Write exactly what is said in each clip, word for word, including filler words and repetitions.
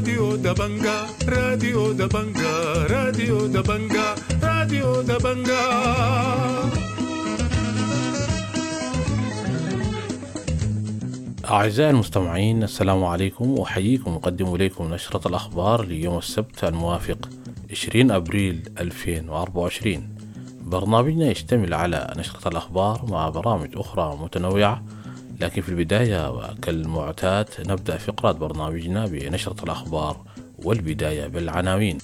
راديو دبنجا، راديو دبنجا، راديو دبنجا، راديو دبنجا. أعزائي المستمعين، السلام عليكم، أحييكم وأقدم إليكم نشرة الأخبار ليوم السبت الموافق عشرين أبريل ألفين وأربعة وعشرين. برنامجنا يشتمل على نشرة الأخبار مع برامج أخرى متنوعة، لكن في البداية وكالمعتاد نبدأ فقرات برنامجنا بنشرة الأخبار، والبداية بالعناوين.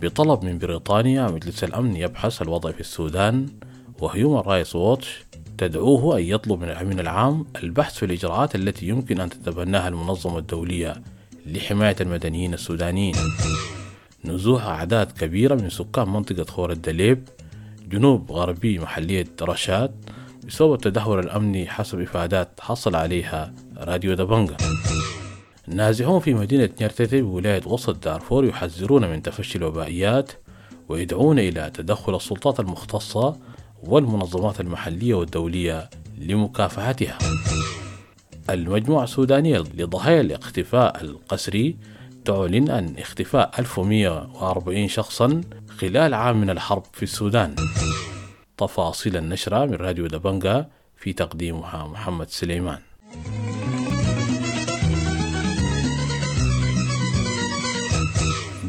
بطلب من بريطانيا مجلس الأمن يبحث الوضع في السودان، وهيومن رايتس ووتش تدعوه أن يطلب من الأمين العام البحث في الإجراءات التي يمكن أن تتبناها المنظمة الدولية لحماية المدنيين السودانيين. نزوح أعداد كبيرة من سكان منطقة خور الدليب جنوب غربي محلية رشاد بسبب التدهور الأمني حسب إفادات حصل عليها راديو دبنجا. نازحون في مدينة نيرتتي بولاية وسط دارفور يحذرون من تفشي الوبائيات ويدعون إلى تدخل السلطات المختصة والمنظمات المحلية والدولية لمكافحتها. المجموعة السودانية لضحايا الاختفاء القسري تعلن أن اختفاء ألف ومئة وأربعين شخصا خلال عام من الحرب في السودان. تفاصيل النشرة من راديو دبنجا في تقديمها محمد سليمان.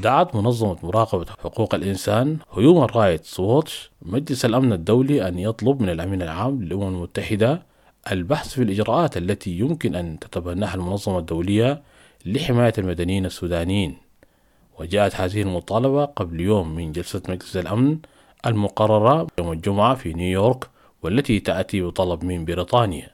دعت منظمة مراقبة حقوق الإنسان هيومن رايتس ووتش مجلس الأمن الدولي أن يطلب من الأمين العام للأمم المتحدة البحث في الإجراءات التي يمكن أن تتبناها المنظمة الدولية لحماية المدنيين السودانيين. وجاءت هذه المطالبة قبل يوم من جلسة مجلس الأمن المقررة يوم الجمعة في نيويورك، والتي تأتي بطلب من بريطانيا.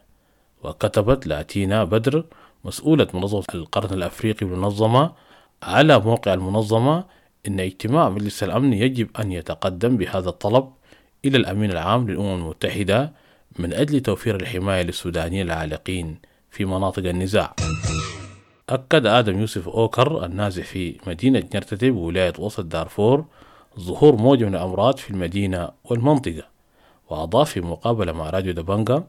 وكتبت لاتينا بدر مسؤولة منظمة القرن الأفريقي بالمنظمة على موقع المنظمة إن اجتماع مجلس الأمن يجب أن يتقدم بهذا الطلب إلى الأمين العام للأمم المتحدة من أجل توفير الحماية للسودانيين العالقين في مناطق النزاع. أكد آدم يوسف أوكر النازح في مدينة نيرتتي بولاية وسط دارفور ظهور موجة من الأمراض في المدينة والمنطقة، وأضاف في مقابلة مع راديو دبنجا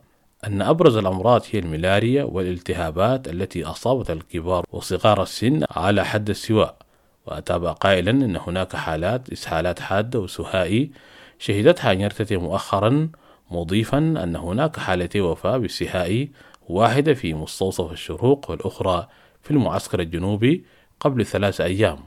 أن أبرز الأمراض هي الملاريا والالتهابات التي أصابت الكبار وصغار السن على حد السواء. وأتابع قائلا أن هناك حالات إسهالات حادة وسهائي شهدتها نيرتتي مؤخرا، مضيفا أن هناك حالتي وفاة بالسهائي، واحدة في مستوصف الشروق والأخرى في المعسكر الجنوبي قبل ثلاث أيام.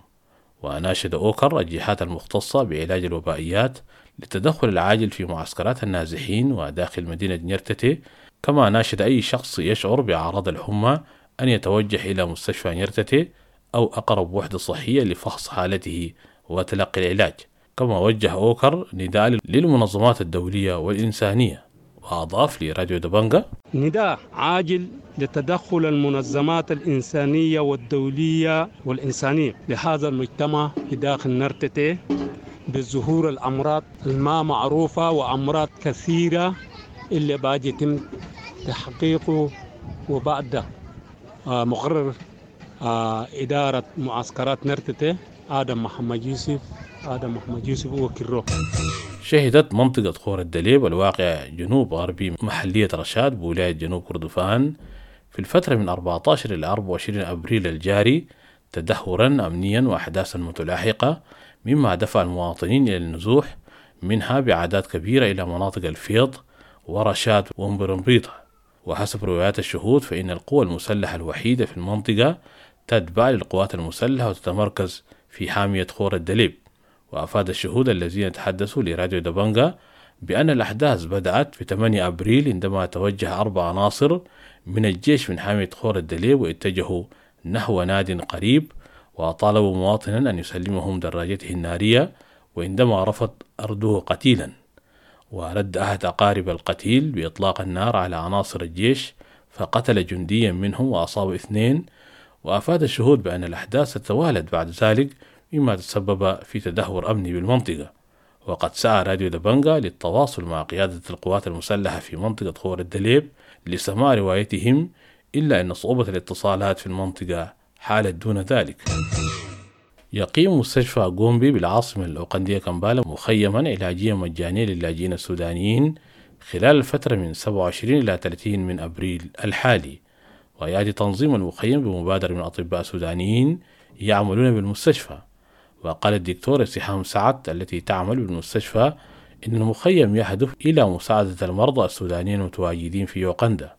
وناشد أوكر الجهات المختصة بعلاج الوبائيات للتدخل العاجل في معسكرات النازحين وداخل مدينة نيرتتي، كما ناشد أي شخص يشعر بأعراض الحمى أن يتوجه إلى مستشفى نيرتتي أو أقرب وحدة صحية لفحص حالته وتلقي العلاج. كما وجه أوكر نداء للمنظمات الدولية والإنسانية. وأضاف لراديو دبنجا: نداء عاجل لتدخل المنظمات الإنسانية والدولية والإنسانية لهذا المجتمع في داخل نيرتتي بظهور الأمراض الما معروفة وأمراض كثيرة اللي باجي يتم تحقيقه. وبعد مقرر إدارة معسكرات نيرتتي آدم محمد يوسف آدم محمد يوسف وكرو. شهدت منطقة خور الدليب الواقع جنوب غربي محلية رشاد بولاية جنوب كردفان في الفترة من أربعة عشر إلى أربعة وعشرين أبريل الجاري تدهورا أمنيا وأحداثا متلاحقة، مما دفع المواطنين إلى النزوح منها بأعداد كبيرة إلى مناطق الفيض ورشاد ومبرمبيطة. وحسب روايات الشهود فإن القوى المسلحة الوحيدة في المنطقة تتبع للقوات المسلحة وتتمركز في حامية خور الدليب. وأفاد الشهود الذين تحدثوا لراديو دبنجا بأن الأحداث بدأت في ثمانية أبريل عندما توجه أربع عناصر من الجيش من حامية خور الدليب واتجهوا نحو ناد قريب، وطالبوا مواطنا أن يسلمهم دراجته النارية، وعندما رفض أردوه قتيلا. ورد أحد أقارب القتيل بإطلاق النار على عناصر الجيش فقتل جنديا منهم وأصاب اثنين. وأفاد الشهود بأن الأحداث تتوالت بعد ذلك مما تسبب في تدهور أمني بالمنطقة. وقد سعى راديو دبنجا للتواصل مع قيادة القوات المسلحة في منطقة خور الدليب لسماع روايتهم، إلا أن صعوبة الاتصالات في المنطقة حالت دون ذلك. يقيم مستشفى غومبي بالعاصمة الأوغندية كامبالا مخيما علاجيا مجانيا للاجئين السودانيين خلال الفترة من سبعة وعشرين إلى ثلاثين من أبريل الحالي. ويأتي تنظيم المخيم بمبادرة من أطباء سودانيين يعملون بالمستشفى. وقال الدكتور سهام سعد التي تعمل بالمستشفى إن المخيم يهدف إلى مساعدة المرضى السودانيين المتواجدين في يوغندا.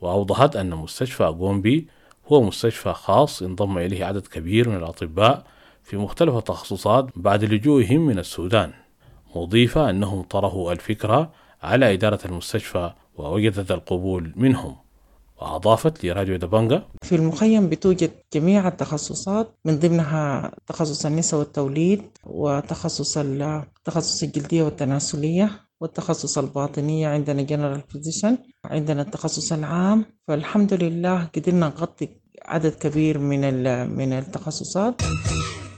وأوضحت أن مستشفى غومبي هو مستشفى خاص انضم إليه عدد كبير من الأطباء في مختلف التخصصات بعد لجوئهم من السودان، مضيفة أنهم طرحوا الفكرة على إدارة المستشفى ووجدت القبول منهم. وأضافت لراديو دبنجا: في المخيم بتوجد جميع التخصصات، من ضمنها تخصص النساء والتوليد، وتخصص تخصص الجلدية والتناسلية، والتخصص الباطنية، عندنا general physician، عندنا التخصص العام. فالحمد لله قدرنا نغطي عدد كبير من من التخصصات.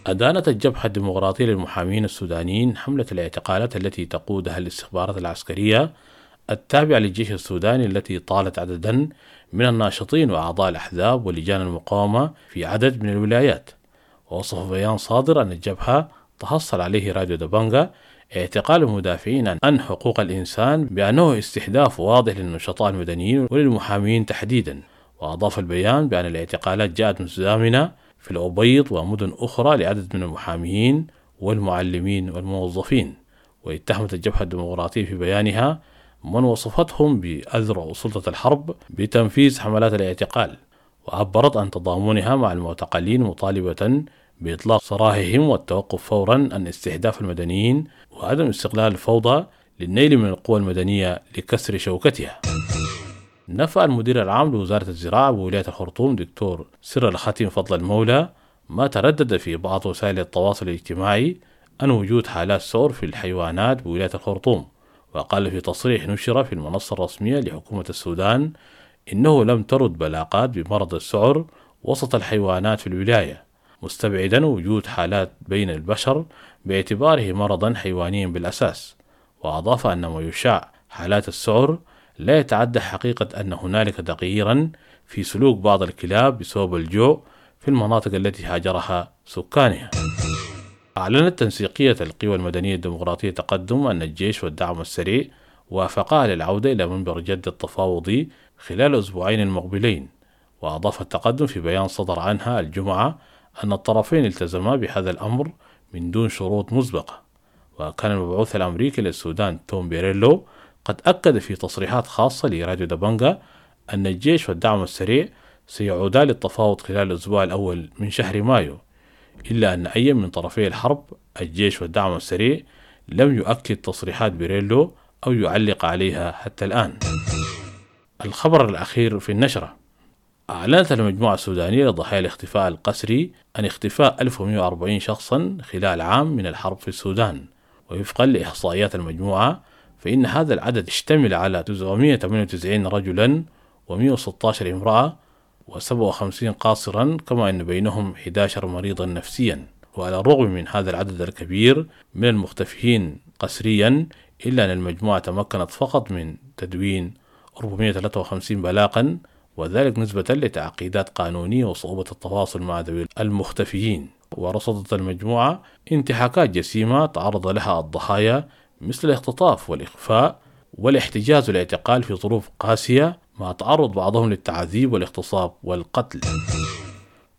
أدانت الجبهة الديمقراطية للمحامين السودانيين حملة الاعتقالات التي تقودها الاستخبارات العسكرية التابعة للجيش السوداني التي طالت عددا من الناشطين وأعضاء الأحزاب ولجان المقاومة في عدد من الولايات. ووصف بيان صادر أن الجبهة تحصل عليه راديو دبنجا اعتقال المدافعين عن حقوق الإنسان بأنه استهداف واضح للنشطاء المدنيين وللمحامين تحديدا. وأضاف البيان بأن الاعتقالات جاءت متزامنة في الأبيض ومدن أخرى لعدد من المحامين والمعلمين والموظفين. واتهمت الجبهة الديمقراطية في بيانها من وصفتهم بأذرع سلطة الحرب بتنفيذ حملات الاعتقال، وعبرت عن تضامنها مع المعتقلين مطالبة بإطلاق سراحهم والتوقف فورا عن استهداف المدنيين وعدم استغلال الفوضى للنيل من القوى المدنية لكسر شوكتها. نفى المدير العام لوزارة الزراعة بولاية الخرطوم دكتور سر الختم فضل المولى ما تردد في بعض وسائل التواصل الاجتماعي عن وجود حالات سعر في الحيوانات بولاية الخرطوم. وقال في تصريح نشر في المنصة الرسمية لحكومة السودان إنه لم ترد بلاغات بمرض السعر وسط الحيوانات في الولاية، مستبعدا وجود حالات بين البشر باعتباره مرضا حيوانيا بالأساس. وأضاف أن ما يشاع حالات السعر لا يتعدى حقيقة أن هنالك تغييرا في سلوك بعض الكلاب بسبب الجوع في المناطق التي هاجرها سكانها. أعلنت تنسيقية القوى المدنية الديمقراطية تقدم أن الجيش والدعم السريع وافقا على العودة إلى منبر جدة التفاوضي خلال الأسبوعين المقبلين. وأضاف التقدم في بيان صدر عنها الجمعة أن الطرفين التزما بهذا الأمر من دون شروط مسبقة. وكان المبعوث الأمريكي للسودان توم بيريلو قد أكد في تصريحات خاصة لراديو دبنجا أن الجيش والدعم السريع سيعودا للتفاوض خلال الأسبوع الأول من شهر مايو، إلا أن أي من طرفي الحرب الجيش والدعم السريع لم يؤكد تصريحات بيريلو أو يعلق عليها حتى الآن. الخبر الأخير في النشرة: أعلنت المجموعة السودانية لضحايا الاختفاء القسري عن اختفاء ألف ومئة وأربعين شخصا خلال عام من الحرب في السودان. ووفقا لإحصائيات المجموعة فإن هذا العدد اشتمل على تسعمئة وثمانية وتسعين رجلا ومئة وستة عشر امرأة وسبعة وخمسين قاصرا، كما أن بينهم أحد عشر مريضا نفسيا. وعلى الرغم من هذا العدد الكبير من المختفيين قسريا، إلا أن المجموعة تمكنت فقط من تدوين أربعمئة وثلاثة وخمسين بلاغا، وذلك نسبة لتعقيدات قانونية وصعوبة التواصل مع ذوي المختفيين. ورصدت المجموعة انتهاكات جسيمة تعرض لها الضحايا مثل الاختطاف والإخفاء والاحتجاز والاعتقال في ظروف قاسية، مع تعرض بعضهم للتعذيب والاغتصاب والقتل.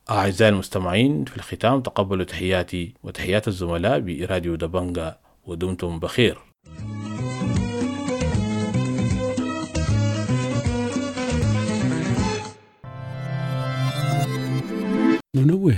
أعزائي المستمعين، في الختام تقبلوا تحياتي وتحيات الزملاء براديو دبنجا، ودمتم بخير. ننوه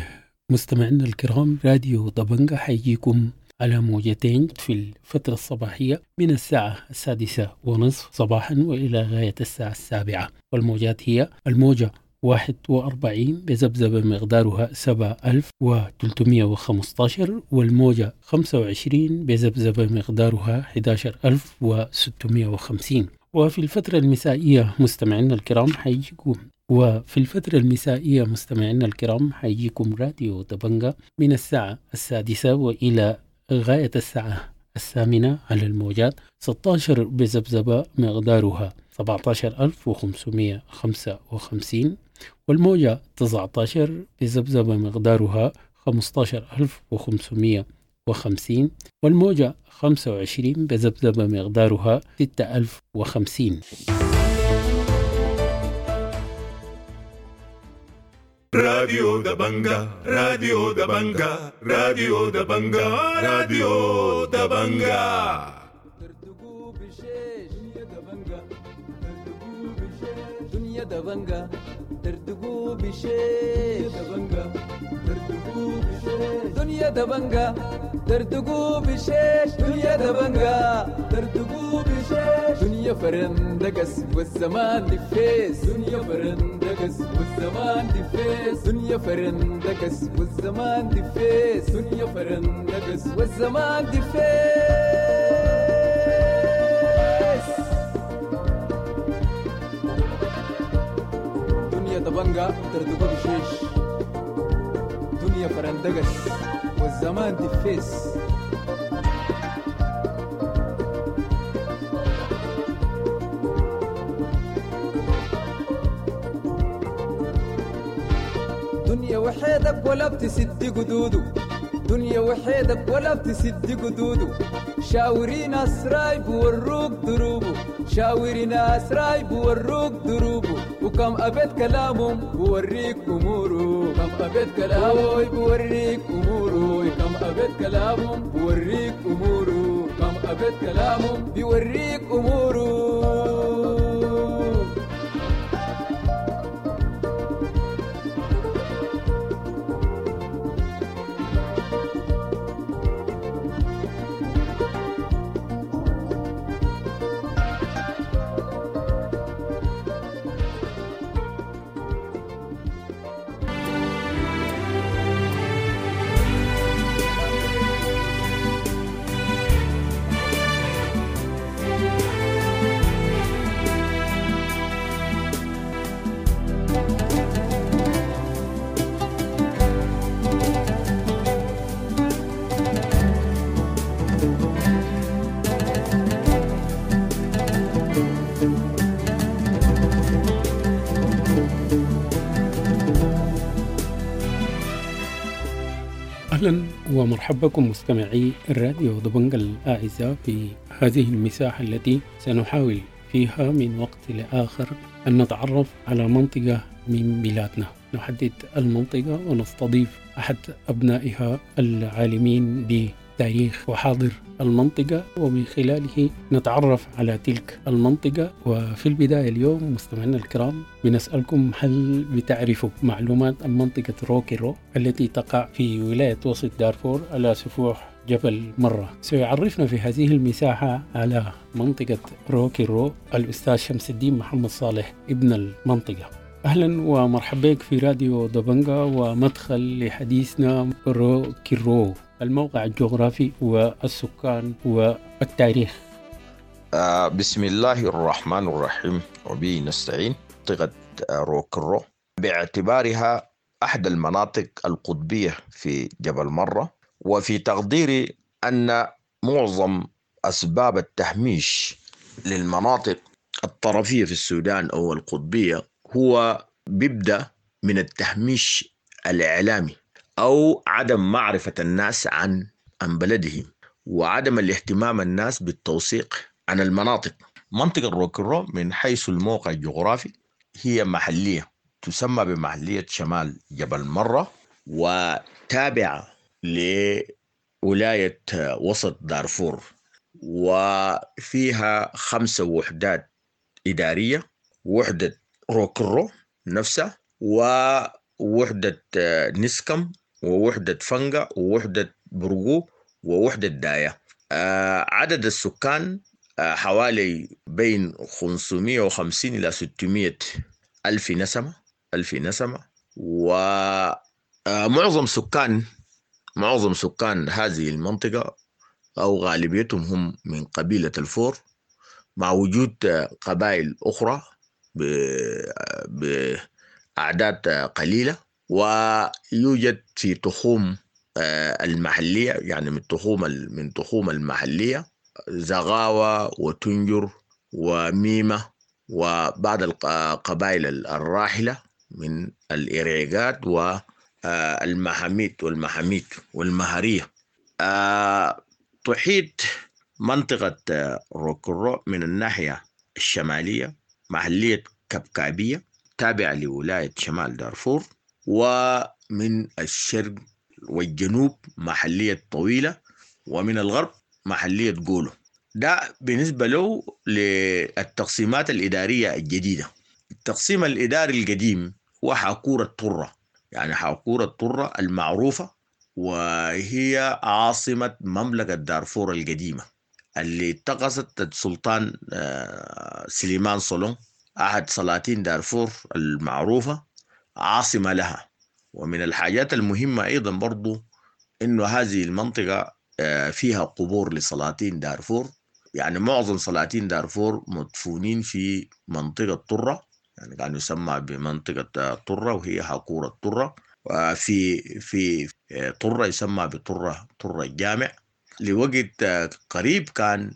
مستمعينا الكرام، راديو دبنجا حيجيكم على موجتين في الفترة الصباحية من الساعة السادسة ونصف صباحا وإلى غاية الساعة السابعة، والموجات هي الموجة واحد وأربعين بذبذبة مقدارها سبعة ألف وثلاثمية وخمستاشر، والموجة خمسة وعشرين بذبذبة مقدارها أحد عشر ألف وستمية وخمسين. وفي الفترة المسائية مستمعينا الكرام حيجيكم وفي الفترة المسائية مستمعينا الكرام حيجيكم راديو دبنجا من الساعة السادسة وإلى غاية الساعة الثامنة على الموجات ستة عشر بذبذبة مقدارها سبعة عشر ألف وخمسمية وخمسة وخمسين، والموجة تسعة عشر بذبذبة مقدارها خمسة عشر ألف وخمسمية وخمسين، والموجة خمسة وعشرين بذبذبة مقدارها ستة ألف وخمسين. راديو دبنجا، راديو دبنجا، راديو دبنجا، راديو دبنجا. دنيا دبنجا تردقوا بشيش، دنيا دبنجا تردقوا بشيش، دنيا دبنجا تردقوا بشيش، دنيا فرندقس والزمان دفيس، دنيا فرندقس والزمان دفيس، دنيا فرندقس والزمان دفيس، دنيا فرندقس والزمان دفيس. دنيا دبنجا تردقوا بشيش، دنيا فرندقس والزمان دفيس. دنيا وحيدك ولا بتسد قدوده، دنيا وحيدك ولا بتسد قدوده، شاوري ناس رايب وروك دروبه، شاوري ناس رايب وروك دروبه، وكم أبيت كلامهم بوريك أموره، كم أبيت كلامه بوريك أموره، كم أبيت كلامهم بوريك أموره، كم أبيت كلامهم بيوريك أموره. أهلا ومرحبا بكم مستمعي الراديو دبنجا الأعزاء في هذه المساحة التي سنحاول فيها من وقت لآخر أن نتعرف على منطقة من بلادنا، نحدد المنطقة ونستضيف أحد أبنائها العالمين بتاريخ وحاضر المنطقة، ومن خلاله نتعرف على تلك المنطقة. وفي البداية اليوم مستمعينا الكرام بنسألكم، هل بتعرفوا معلومات عن منطقة روكيرو التي تقع في ولاية وسط دارفور على سفوح جبل مرة؟ سيعرفنا في هذه المساحة على منطقة روكيرو الأستاذ شمس الدين محمد صالح ابن المنطقة. أهلا ومرحبا بك في راديو دبنجا ومدخل لحديثنا روكيرو، الموقع الجغرافي والسكان والتاريخ. آه بسم الله الرحمن الرحيم وبه نستعين. منطقة روكيرو باعتبارها أحد المناطق القطبية في جبل مرة، وفي تقديري أن معظم أسباب التهميش للمناطق الطرفية في السودان أو القطبية هو بيبدأ من التهميش الإعلامي أو عدم معرفة الناس عن عن بلدهم وعدم الاهتمام الناس بالتوثيق عن المناطق. منطقة روكيرو من حيث الموقع الجغرافي هي محلية تسمى بمحلية شمال جبل مرة، وتابعة لولاية وسط دارفور، وفيها خمسة وحدات إدارية: وحدة روكيرو نفسها، ووحدة نسكم، ووحدة فنجا، ووحدة برغو، ووحدة داية. عدد السكان حوالي بين خمسمائة وخمسين إلى ستمائة ألف نسمة ألف نسمة. ومعظم سكان معظم سكان هذه المنطقة أو غالبيتهم هم من قبيلة الفور، مع وجود قبائل أخرى بأعداد قليلة. ويوجد في تخوم المحلية، يعني من تخوم من تخوم المحلية زغاوة وتنجر وميمة وبعض القبائل الراحلة من الإريقات والمحاميد والمحاميد والمهرية. آه تحيط منطقة روكرو من الناحية الشمالية محلية كبكابية تابعة لولاية شمال دارفور، ومن الشرق والجنوب محلية طويلة، ومن الغرب محلية جولو. ده بالنسبة له للتقسيمات الإدارية الجديدة. التقسيم الإداري القديم هو حاكورة الطرة، يعني حاكورة الطرة المعروفة، وهي عاصمة مملكة دارفور القديمة اللي اتخذت السلطان سليمان صولون أحد سلاطين دارفور المعروفة عاصمة لها. ومن الحاجات المهمة أيضا برضو إنه هذه المنطقة فيها قبور لسلاطين دارفور، يعني معظم سلاطين دارفور مدفونين في منطقة طرة، يعني كان يسمى بمنطقة طرة وهي حاكورة طرة، وفي في طرة يسمى بطرة طرة الجامع. لوقت قريب كان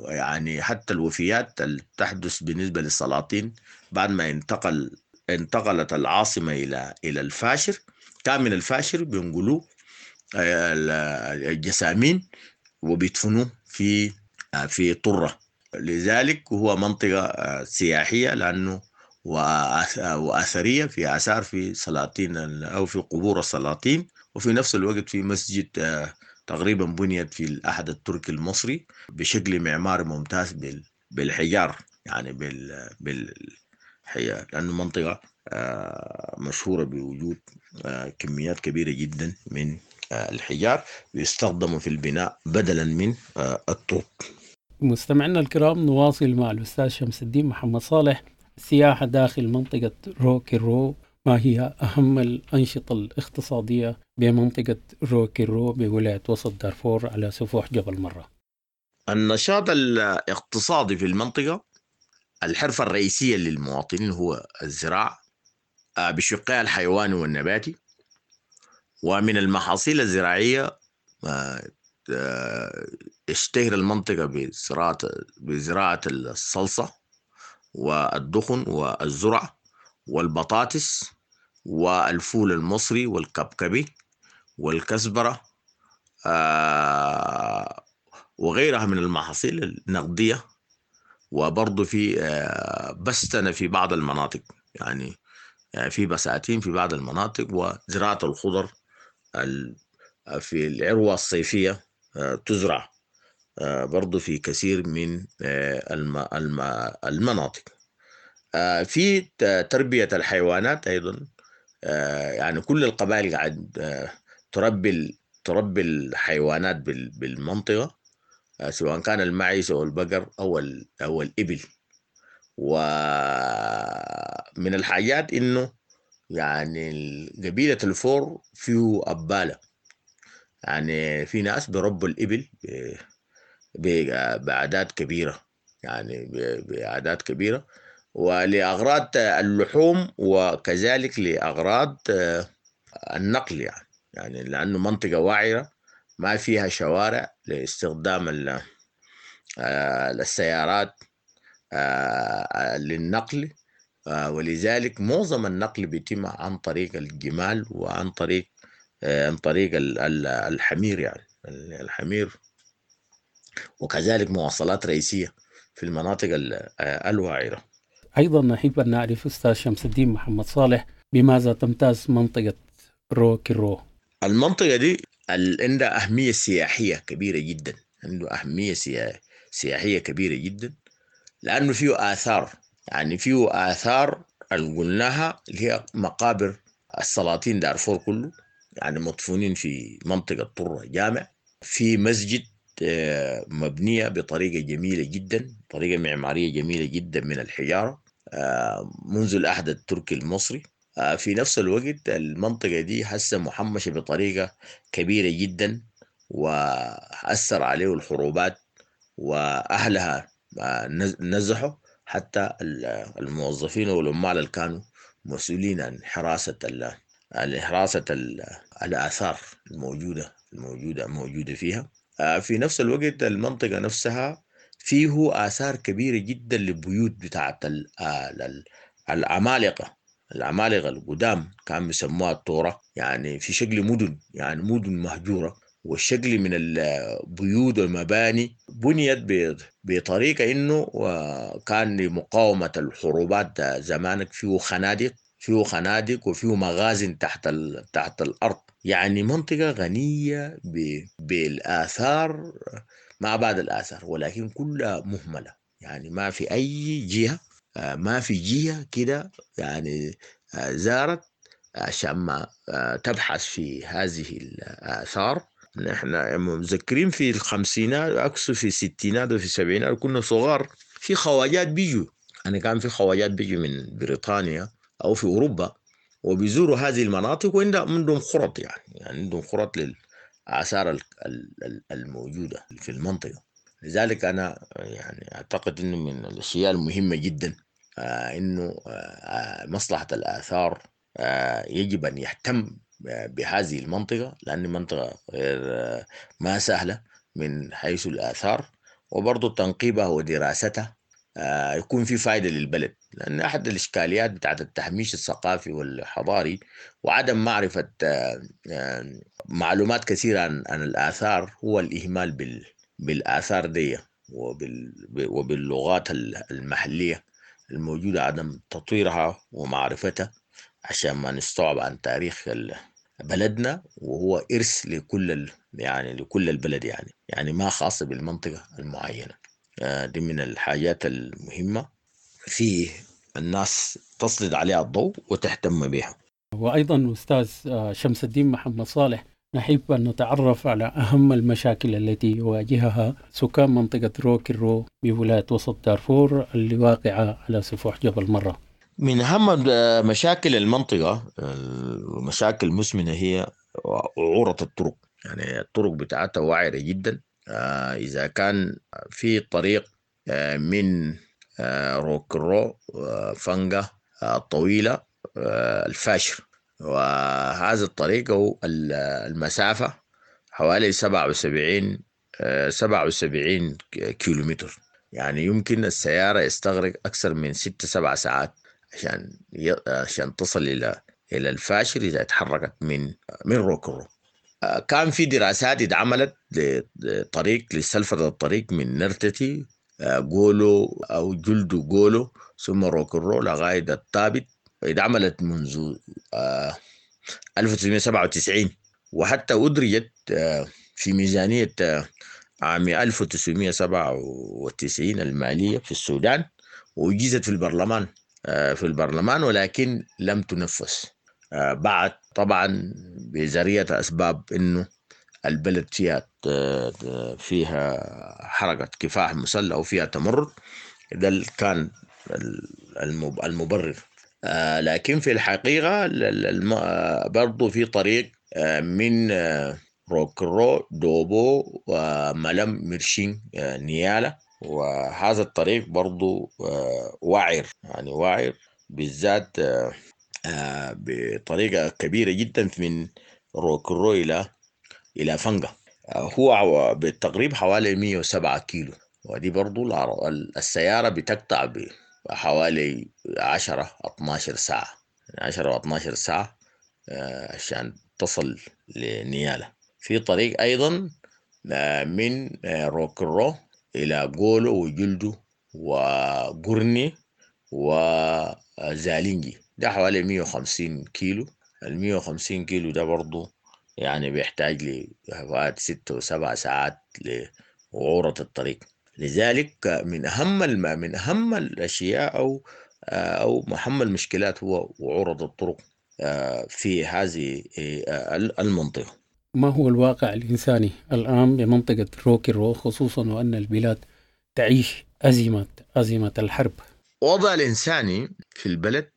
يعني حتى الوفيات اللي تحدث بالنسبة للسلاطين بعد ما انتقل انتقلت العاصمة إلى إلى الفاشر، كان من الفاشر بينقلوه الجسامين وبيدفنوه في في طرة. لذلك هو منطقة سياحية لأنه وأثرية، في آثار في سلاطين أو في قبور السلاطين، وفي نفس الوقت في مسجد تقريبا بنيت في الأحد التركي المصري بشكل معماري ممتاز بالحجار، يعني بال بالحجار، لأنه منطقة مشهورة بوجود كميات كبيرة جدا من الحجار بيستخدموا في البناء بدلا من الطوب. مستمعينا الكرام، نواصل مع الأستاذ شمس الدين محمد صالح. السياحة داخل منطقة روكيرو، ما هي أهم الأنشطة الاقتصادية بمنطقة روكيرو بولاية وسط دارفور على سفوح جبل مرة؟ النشاط الاقتصادي في المنطقة، الحرفة الرئيسية للمواطنين هو الزراعة بشقها الحيواني والنباتي، ومن المحاصيل الزراعية اشتهر المنطقة بزراعة بزراعة الصلصة والدخن والزرع والبطاطس والفول المصري والكبكبي والكزبرة وغيرها من المحاصيل النقدية. وبرضه في بستنة في بعض المناطق، يعني في بساتين في بعض المناطق، وزراعة الخضر في العروة الصيفية تزرع برضو في كثير من المناطق. في تربية الحيوانات أيضا، يعني كل القبائل قاعد تربي تربي الحيوانات بالمنطقة، سواء كان المعيز أو البقر أو أو الإبل. ومن الحاجات إنه يعني قبيلة الفور فيه أبالة، يعني في ناس بربوا الإبل بأعداد كبيرة، يعني بأعداد كبيرة، ولأغراض اللحوم وكذلك لأغراض النقل، يعني يعني لأنه منطقة وعرة ما فيها شوارع لاستخدام السيارات للنقل، ولذلك معظم النقل بيتم عن طريق الجمال وعن طريق عن طريق الحمير، يعني الحمير، وكذلك مواصلات رئيسية في المناطق الوعرة. أيضا نحب أن نعرف أستاذ شمس الدين محمد صالح بماذا تمتاز منطقة روكيرو؟ المنطقة دي عندها أهمية سياحية كبيرة جدا، عنده أهمية سياحية كبيرة جدا، لأنه فيه آثار، يعني فيه آثار اللي قلناها اللي هي مقابر السلاطين دارفور كله، يعني مدفونين في منطقة طرة جامع، في مسجد مبنية بطريقة جميلة جدا، طريقة معمارية جميلة جدا من الحجارة منذ العهد التركي المصري. في نفس الوقت المنطقة دي هسه محمشة بطريقة كبيرة جدا، وأثر عليه الحروبات وأهلها نزحوا، حتى الموظفين والعمال اللي كانوا مسؤولين عن حراسة حراسة الآثار الموجودة الموجودة موجودة فيها. في نفس الوقت المنطقة نفسها فيه آثار كبيرة جدا للبيوت بتاعت العمالقة، العمالقة القدام كان بيسموها الطورة، يعني في شكل مدن، يعني مدن مهجورة وشكل من البيوت والمباني بنيت بطريقة إنه كان لمقاومة الحروبات زمانك. فيه خنادق فيه خنادق وفيه مغازن تحت تحت الأرض. يعني منطقة غنية بالآثار ما بعد الآثار، ولكن كلها مهملة. يعني ما في أي جهة، ما في جهة كده يعني زارت عشان ما تبحث في هذه الآثار. نحن متذكرين في الخمسينات، أقصد في الستينات وفي السبعينات كنا صغار، في خواجات بيجوا، يعني كان في خواجات بيجوا من بريطانيا أو في أوروبا وبيزوروا هذه المناطق، وعندهم خرط، يعني يعني عندهم خرط للآثار الموجودة في المنطقة. لذلك أنا يعني أعتقد إنه من الأشياء المهمة جدا إنه مصلحة الآثار يجب أن يهتم بهذه المنطقة، لأن منطقة غير ما سهلة من حيث الآثار، وبرضو تنقيبها ودراستها يكون في فائدة للبلد. لأن أحد الإشكاليات بتاعت التهميش الثقافي والحضاري وعدم معرفة معلومات كثيرة عن, عن الآثار هو الإهمال بال بالآثار دي وبال وباللغات المحلية الموجودة، عدم تطويرها ومعرفتها عشان ما نستوعب عن تاريخ بلدنا، وهو إرث لكل يعني لكل البلد، يعني يعني ما خاصة بالمنطقة المعينة. دي من الحاجات المهمة في الناس تسلط عليها الضوء وتهتم بها. وأيضا أستاذ شمس الدين محمد صالح، نحب أن نتعرف على أهم المشاكل التي يواجهها سكان منطقة روكرو بولاية وسط دارفور اللي واقعة على سفوح جبل مرة. من أهم مشاكل المنطقة، المشاكل المزمنة، هي وعورة الطرق. يعني الطرق بتاعتها وعرة جدا. إذا كان في طريق من روكرو فنجة الطويلة الفاشر، وهذا الطريق هو المسافة حوالي سبعة وسبعين سبعة وسبعين كيلومتر. يعني يمكن السيارة يستغرق أكثر من ست سبع ساعات عشان عشان تصل إلى إلى الفاشر إذا تحركت من من روكرو. كان في دراسات اتعملت لطريق لسلفة الطريق من نرتتي جولو أو جلدو جولو ثم روكرو لغاية الطابت، اتعملت منذ ألف وتسعمائة وسبعة وتسعين، وحتى أدرجت في ميزانية عام ألف وتسعمائة وسبعة وتسعين المالية في السودان، وأجيزت في البرلمان في البرلمان ولكن لم تنفذ بعد، طبعا بذرية أسباب إنه البلد فيها فيها حركة كفاح مسلح وفيها تمرد، ده كان المبرر. لكن في الحقيقة برضو في طريق من روكرو دوبو وملم مرشين نيالا، وهذا الطريق برضو وعر، يعني وعر بالذات بطريقة كبيرة جدا من روكرو إلى إلى فنجة، هو بالتقريب حوالي مئة وسبعة كيلو، ودي برضو السيارة بتقطع بحوالي عشرة اثناشر ساعة، عشرة واثناشر ساعة عشان تصل لنيالا. في طريق أيضا من روكرو إلى جولو وجلدو وقرني وزالينجي، ده حوالي مئة وخمسين كيلو. ال مئة وخمسين كيلو ده برضو يعني بيحتاج لحوالي ستة وسبع ساعات لوعورة الطريق. لذلك من أهم من أهم الأشياء أو أو أهم المشكلات هو وعورة الطرق في هذه المنطقة. ما هو الواقع الإنساني الآن بمنطقة روكرو، خصوصا وأن البلاد تعيش أزمة أزمة الحرب؟ وضع الإنساني في البلد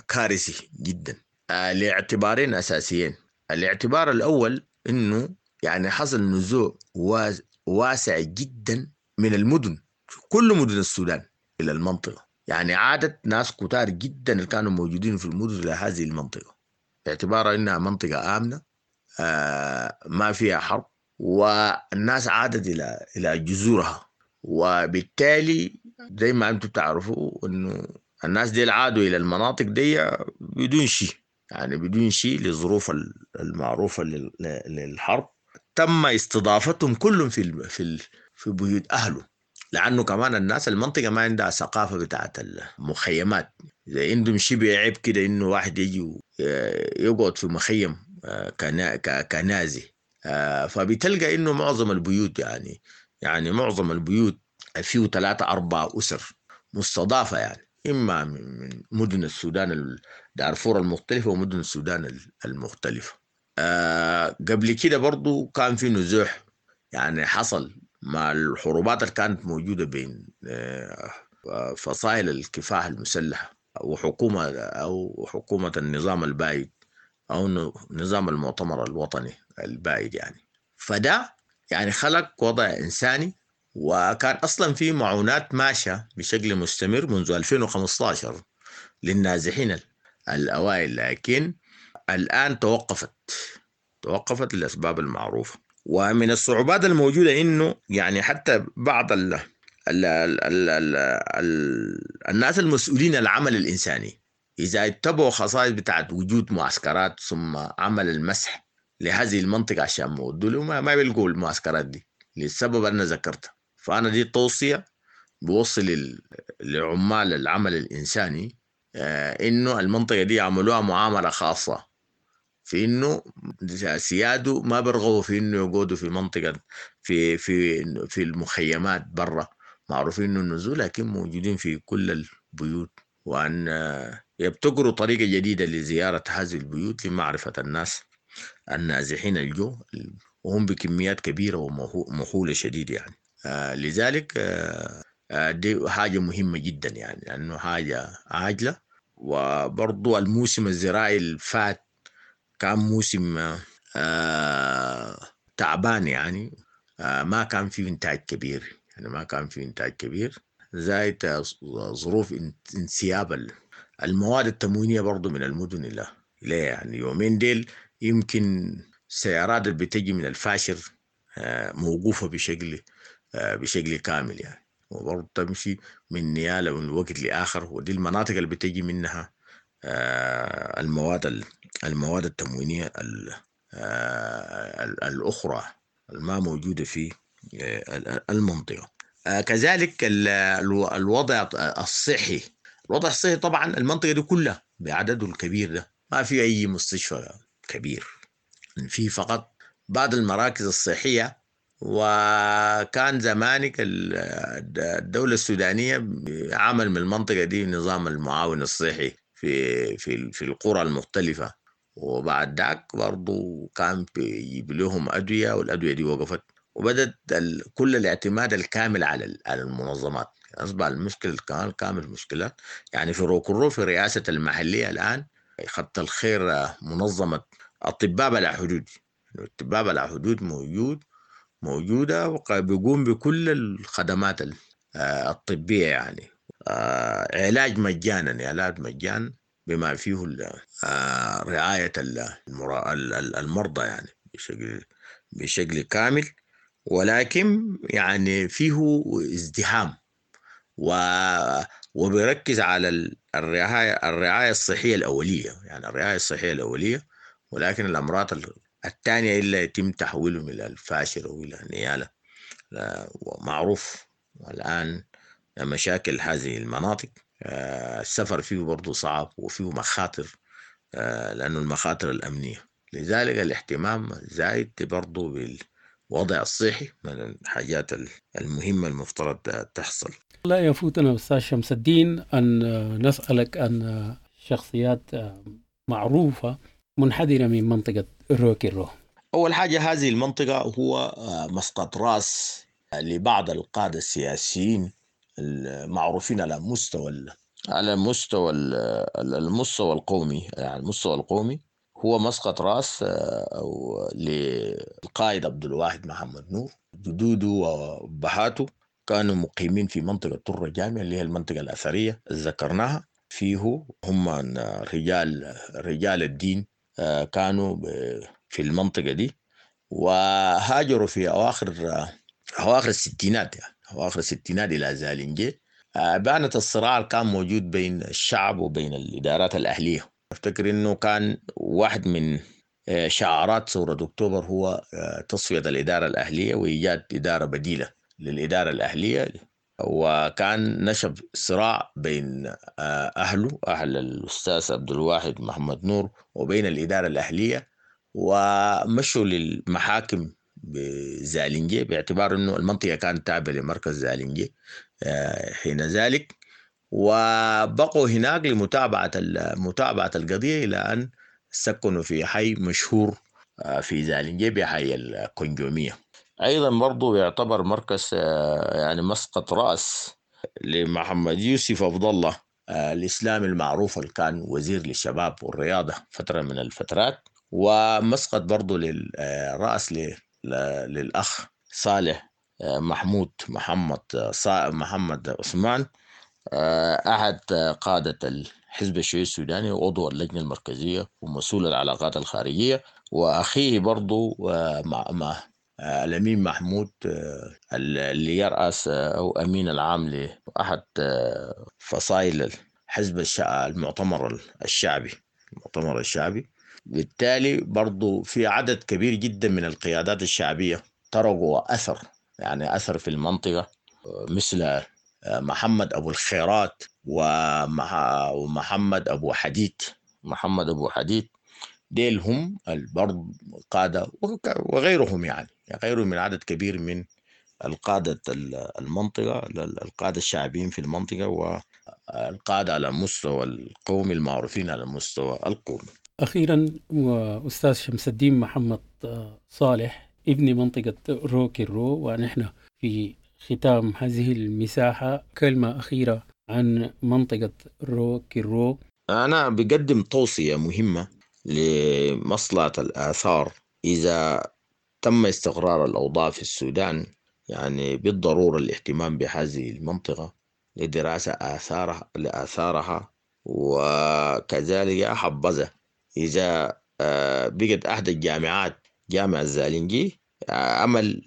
كارثي جدا لاعتبارين أساسيين. الاعتبار الأول إنه يعني حصل نزوع واسع جدا من المدن، كل مدن السودان إلى المنطقة، يعني عادت ناس كتار جدا اللي كانوا موجودين في المدن إلى هذه المنطقة باعتبارها إنها منطقة آمنة آه ما فيها حرب، والناس عادت إلى إلى جذورها. وبالتالي زي ما أنتم تعرفوا إنه الناس دي عادوا إلى المناطق دي بدون شيء، يعني بدون شيء للظروف المعروفة للحرب. تم استضافتهم كلهم في ال في ال في بيوت اهله، لانه كمان الناس المنطقة ما عندها ثقافة بتاعت المخيمات، زي عندهم شبه عيب كده انه واحد يجي يقعد في مخيم كنازي. فبتلقى انه معظم البيوت يعني يعني معظم البيوت فيه ثلاثة أربعة أسر مستضافة، يعني إما من مدن السودان دارفور المختلفة ومدن السودان المختلفة. آه قبل كده برضو كان في نزوح، يعني حصل مع الحروبات اللي كانت موجودة بين آه فصائل الكفاح المسلحة وحكومة أو حكومة النظام البائد أو نظام المؤتمر الوطني البائد يعني. فده يعني خلق وضع إنساني، وكان أصلا في معونات ماشية بشكل مستمر منذ ألفين وخمسة عشر للنازحين الأوائل، لكن الآن توقفت توقفت للأسباب المعروفة. ومن الصعوبات الموجودة إنه يعني حتى بعض ال ال ال ال ال ال الناس المسؤولين العمل الإنساني إذا اتبعوا خصائص بتاعت وجود معسكرات ثم عمل المسح لهذه المنطقة عشان مودوا ما, ما بيلقوا المعسكرات دي للسبب أنا ذكرته. فأنا دي توصية بوصل لعمال العمل الإنساني آه إنه المنطقة دي عملوها معاملة خاصة، في إنه سيادة ما برغبوا في إنه يقعدوا في منطقة في في في المخيمات برا، معروفين إنه النزول، لكن موجودين في كل البيوت، وأن يبتكروا طريقة جديدة لزيارة هذه البيوت لمعرفة الناس النازحين الجو، وهم بكميات كبيرة ومهولة شديدة يعني. آه لذلك آه آه دي حاجة مهمة جدا يعني، لأنه حاجة عاجلة. وبرضو الموسم الزراعي الفات كان موسم آه تعبان يعني، آه ما كان فيه إنتاج كبير يعني، ما كان فيه إنتاج كبير، زائد ظروف انسياب المواد التموينية برضو من المدن إلى إلى يعني. يومين ديل يمكن السيارات اللي بتجي من الفاشر موقوفة بشكل بشكل كامل يعني، وبرضه تمشي من نيالة من وقت لآخر، ودي المناطق اللي بتجي منها المواد المواد التموينية الأخرى الما موجودة في المنطقة. كذلك الوضع الصحي، الوضع الصحي طبعا المنطقة دي كلها بعدده الكبير ده ما في أي مستشفى كبير، في فقط بعض المراكز الصحية. وكان زمانك الدولة السودانية عمل من المنطقة دي نظام المعاون الصحي في في في القرى المختلفة، وبعد ذاك برضو كان بيجيب لهم أدوية، والأدوية دي وقفت، وبدت كل الاعتماد الكامل على على المنظمات. أصبح المشكلة كمان كامل مشكلة يعني. في روكرو في رئاسة المحلية الآن خط الخير منظمة أطباء بلا حدود، الأطباء بلا حدود موجود موجودة وبيقوم بكل الخدمات الطبية يعني، علاج مجانا، علاج مجانا بما فيه رعاية المرضى يعني بشكل بشكل كامل، ولكن يعني فيه ازدحام، وبيركز على الرعاية الرعاية الصحية الأولية يعني، الرعاية الصحية الأولية، ولكن الأمراض الثانية إلا يتم تحويلهم إلى الفاشر وإلى نيالة. ومعروف الآن مشاكل هذه المناطق، السفر فيه برضو صعب وفيه مخاطر، لأنه المخاطر الأمنية، لذلك الاهتمام زايد برضو بالوضع الصحي من الحاجات المهمة المفترض تحصل. لا يفوتنا أستاذ شمس الدين أن نسألك عن شخصيات معروفة منحدرة من منطقة روكيرو. أول حاجة هذه المنطقة هو مسقط رأس لبعض القادة السياسيين المعروفين على مستوى على مستوى المستوى القومي، يعني المستوى القومي هو مسقط رأس أو للقائد عبد الواحد محمد نور. جدوده وأبهاته كانوا مقيمين في منطقة طرة جامعة اللي هي المنطقة الأثرية اللي ذكرناها، فيه هم رجال رجال الدين كانوا في المنطقة دي، وهاجروا في أواخر أواخر الستينات يعني أواخر الستينات إلى زالنجي. بانت الصراع اللي كان موجود بين الشعب وبين الإدارات الأهلية. أفتكر إنه كان واحد من شعارات ثورة أكتوبر هو تصفية الإدارة الأهلية وإيجاد إدارة بديلة للإدارة الأهلية. وكان نشب صراع بين أهله، أهل الأستاذ عبد الواحد محمد نور، وبين الإدارة الأهلية، ومشوا للمحاكم بزالنجي باعتبار أنه المنطقة كانت تابعة لمركز زالنجي حين ذلك، وبقوا هناك لمتابعة متابعة القضية إلى أن سكنوا في حي مشهور في زالنجي بحي الكونجومية. أيضا برضو يعتبر مركز يعني مسقط رأس لمحمد يوسف عبد الله الإسلامي المعروف اللي كان وزير للشباب والرياضة فترة من الفترات، ومسقط برضو للرأس للأخ صالح محمود محمد محمد عثمان، أحد قادة الحزب الشيوعي السوداني وعضو اللجنة المركزية ومسؤول العلاقات الخارجية، وأخيه برضو مع مع الأمين محمود اللي يرأس أو أمين العام لأحد فصائل حزب المؤتمر الشعبي المؤتمر الشعبي. بالتالي برضو في عدد كبير جدا من القيادات الشعبية تركوا أثر، يعني أثر في المنطقة، مثل محمد أبو الخيرات ومحمد أبو حديد. محمد أبو حديد ديل هم برضو قادة وغيرهم، يعني غيرهم من عدد كبير من القادة المنطقة، القادة الشعبيين في المنطقة والقادة على مستوى القومي المعروفين على المستوى القومي. أخيرا وأستاذ شمس الدين محمد صالح ابن منطقة روكيرو، ونحن في ختام هذه المساحة كلمة أخيرة عن منطقة روكيرو. أنا بقدم توصية مهمة لمصلحة الآثار. إذا تم استقرار الأوضاع في السودان، يعني بالضرورة الاهتمام بهذه المنطقة لدراسة آثارها لآثارها، وكذلك حبذا إذا بقت أحد الجامعات جامعة الزالنجي عمل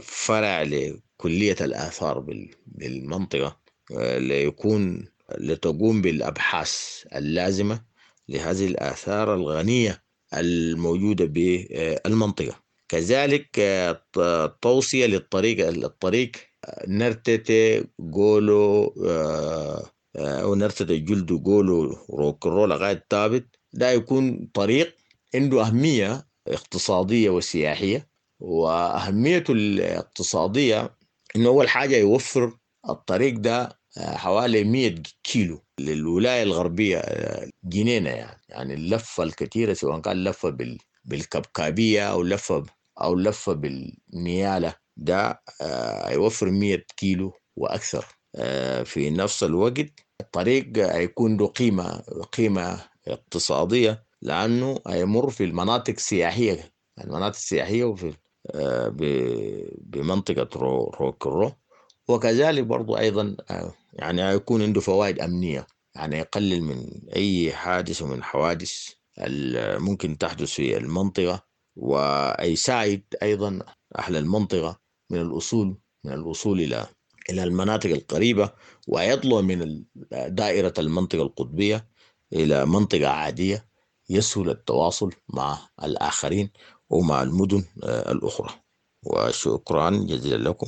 فرع لكلية الآثار بالمنطقة ليكون لتقوم بالأبحاث اللازمة لهذه الآثار الغنية الموجودة بالمنطقة. كذلك توصية للطريق الطريق نرتتي جولو أو نرتتي جلدو جولو روكرو لغاية ثابت، ده يكون طريق عنده أهمية اقتصادية وسياحية. وأهميته الاقتصادية إنه أول حاجة يوفر الطريق ده حوالي مية كيلو للولاية الغربية جنينة، يعني يعني اللفة الكثيرة سواء كان لفة بالكبكابية أو لفة أو لفة بالنيالة، ده هيوفر مية كيلو وأكثر. في نفس الوقت الطريق هيكون له قيمة قيمة اقتصادية لأنه هيمر في المناطق السياحية المناطق السياحية وفي بمنطقة روكرو. وكذلك برضو أيضا يعني هيكون عنده فوائد أمنية، يعني يقلل من أي حادث ومن حوادث ممكن تحدث في المنطقة، ويساعد أيضا أهل المنطقة من الوصول من الوصول إلى إلى المناطق القريبة، ويطلع من دائرة المنطقة القطبية إلى منطقة عادية يسهل التواصل مع الآخرين ومع المدن الأخرى. وشكرا جزيلا لكم.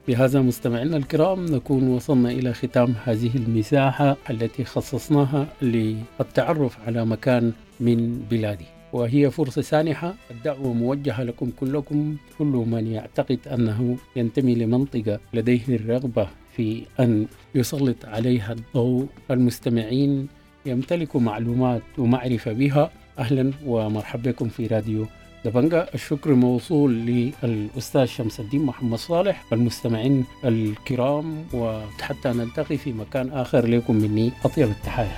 بهذا مستمعينا الكرام نكون وصلنا إلى ختام هذه المساحة التي خصصناها للتعرف على مكان من بلادي، وهي فرصة سانحة. الدعوة موجهة لكم كلكم، كل من يعتقد أنه ينتمي لمنطقة لديه الرغبة في أن يسلط عليها الضوء، المستمعين يمتلكوا معلومات ومعرفة بها، أهلا ومرحبا بكم في راديو دبنجا. الشكر موصول للأستاذ شمس الدين محمد صالح، المستمعين الكرام، وحتى نلتقي في مكان آخر لكم مني أطيب التحايا.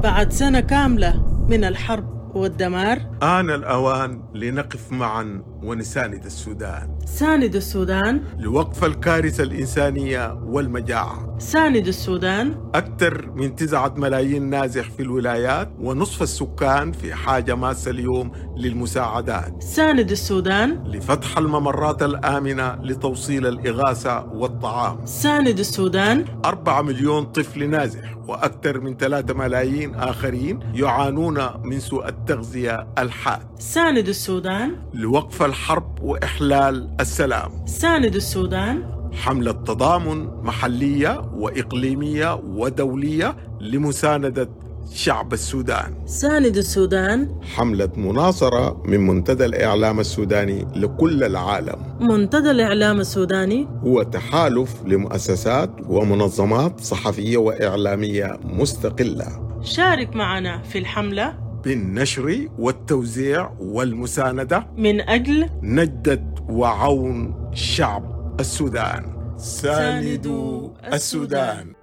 بعد سنة كاملة من الحرب والدمار. آن الأوان لنقف معا ونساند السودان. ساند السودان لوقف الكارثة الإنسانية والمجاعة. ساند السودان. أكثر من تسعة ملايين نازح في الولايات ونصف السكان في حاجة ماسة اليوم للمساعدات. ساند السودان لفتح الممرات الآمنة لتوصيل الإغاثة والطعام. ساند السودان. أربعة مليون طفل نازح وأكثر من ثلاثة ملايين آخرين يعانون من سوء التغذية الحاد. ساند السودان لوقف الحرب وإحلال السلام. ساند السودان. حملة تضامن محلية وإقليمية ودولية لمساندة شعب السودان. ساند السودان. حملة مناصرة من منتدى الإعلام السوداني لكل العالم. منتدى الإعلام السوداني هو تحالف لمؤسسات ومنظمات صحفية وإعلامية مستقلة. شارك معنا في الحملة بالنشر والتوزيع والمساندة من أجل نجدة وعون شعب السودان. ساندوا السودان.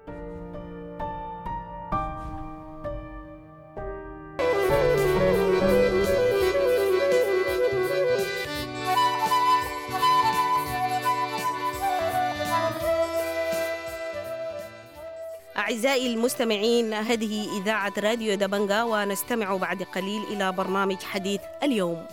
أعزائي المستمعين، هذه إذاعة راديو دبنجا، ونستمع بعد قليل إلى برنامج حديث اليوم.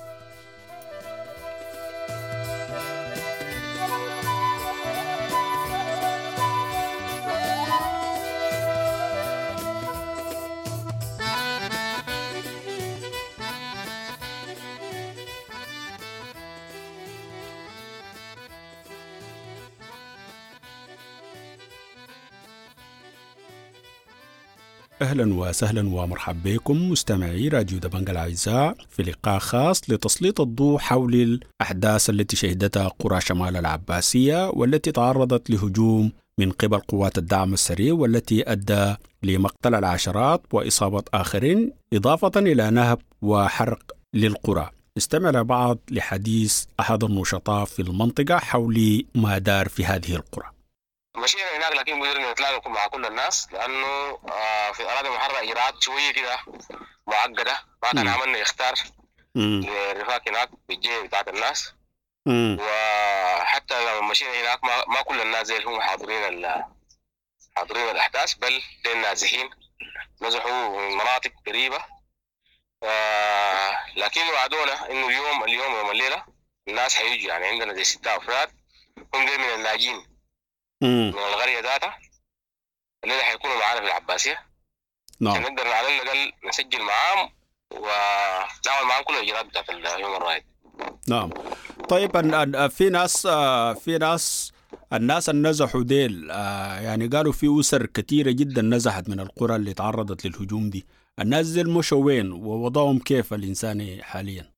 أهلا وسهلا ومرحبا بكم مستمعي راديو دبنجا الأعزاء في لقاء خاص لتسليط الضوء حول الأحداث التي شهدتها قرى شمال العباسية والتي تعرضت لهجوم من قبل قوات الدعم السريع والتي أدى لمقتل العشرات وإصابة آخرين، إضافة إلى نهب وحرق للقرى. استمع بعض لحديث أحد النشطاء في المنطقة حول ما دار في هذه القرى. مشينا هناك لكن قدرنا نتلاقى مع كل الناس، لانه في الاراضي المحرره اجراءات شويه كده معقده، ما كان عملنا اختار للرفاق هناك بالجهه بتاعت الناس. مم. وحتى لما مشينا هناك ما, ما كل الناس زي اللي هم حاضرين حاضرين الاحداث، بل النازحين نزحوا من مناطق قريبه. آه لكن وعدونا انه اليوم اليوم يوم الليله الناس حيجوا، يعني عندنا زي ستة افراد هم دي من الناجين من القرية ذاتها الليلة حيكونوا معانا في العباسية. نعم. عشان نقدر على الأقل نسجل معاهم ونعمل معاهم كل الإجراءات بتاعت ال human right. نعم. طيب في ناس في ناس الناس اللي نزحوا ديل، يعني قالوا في أسر كثيرة جدا نزحت من القرى اللي تعرضت للهجوم دي، الناس ديل مشوا وين ووضعهم كيف الإنساني حاليا؟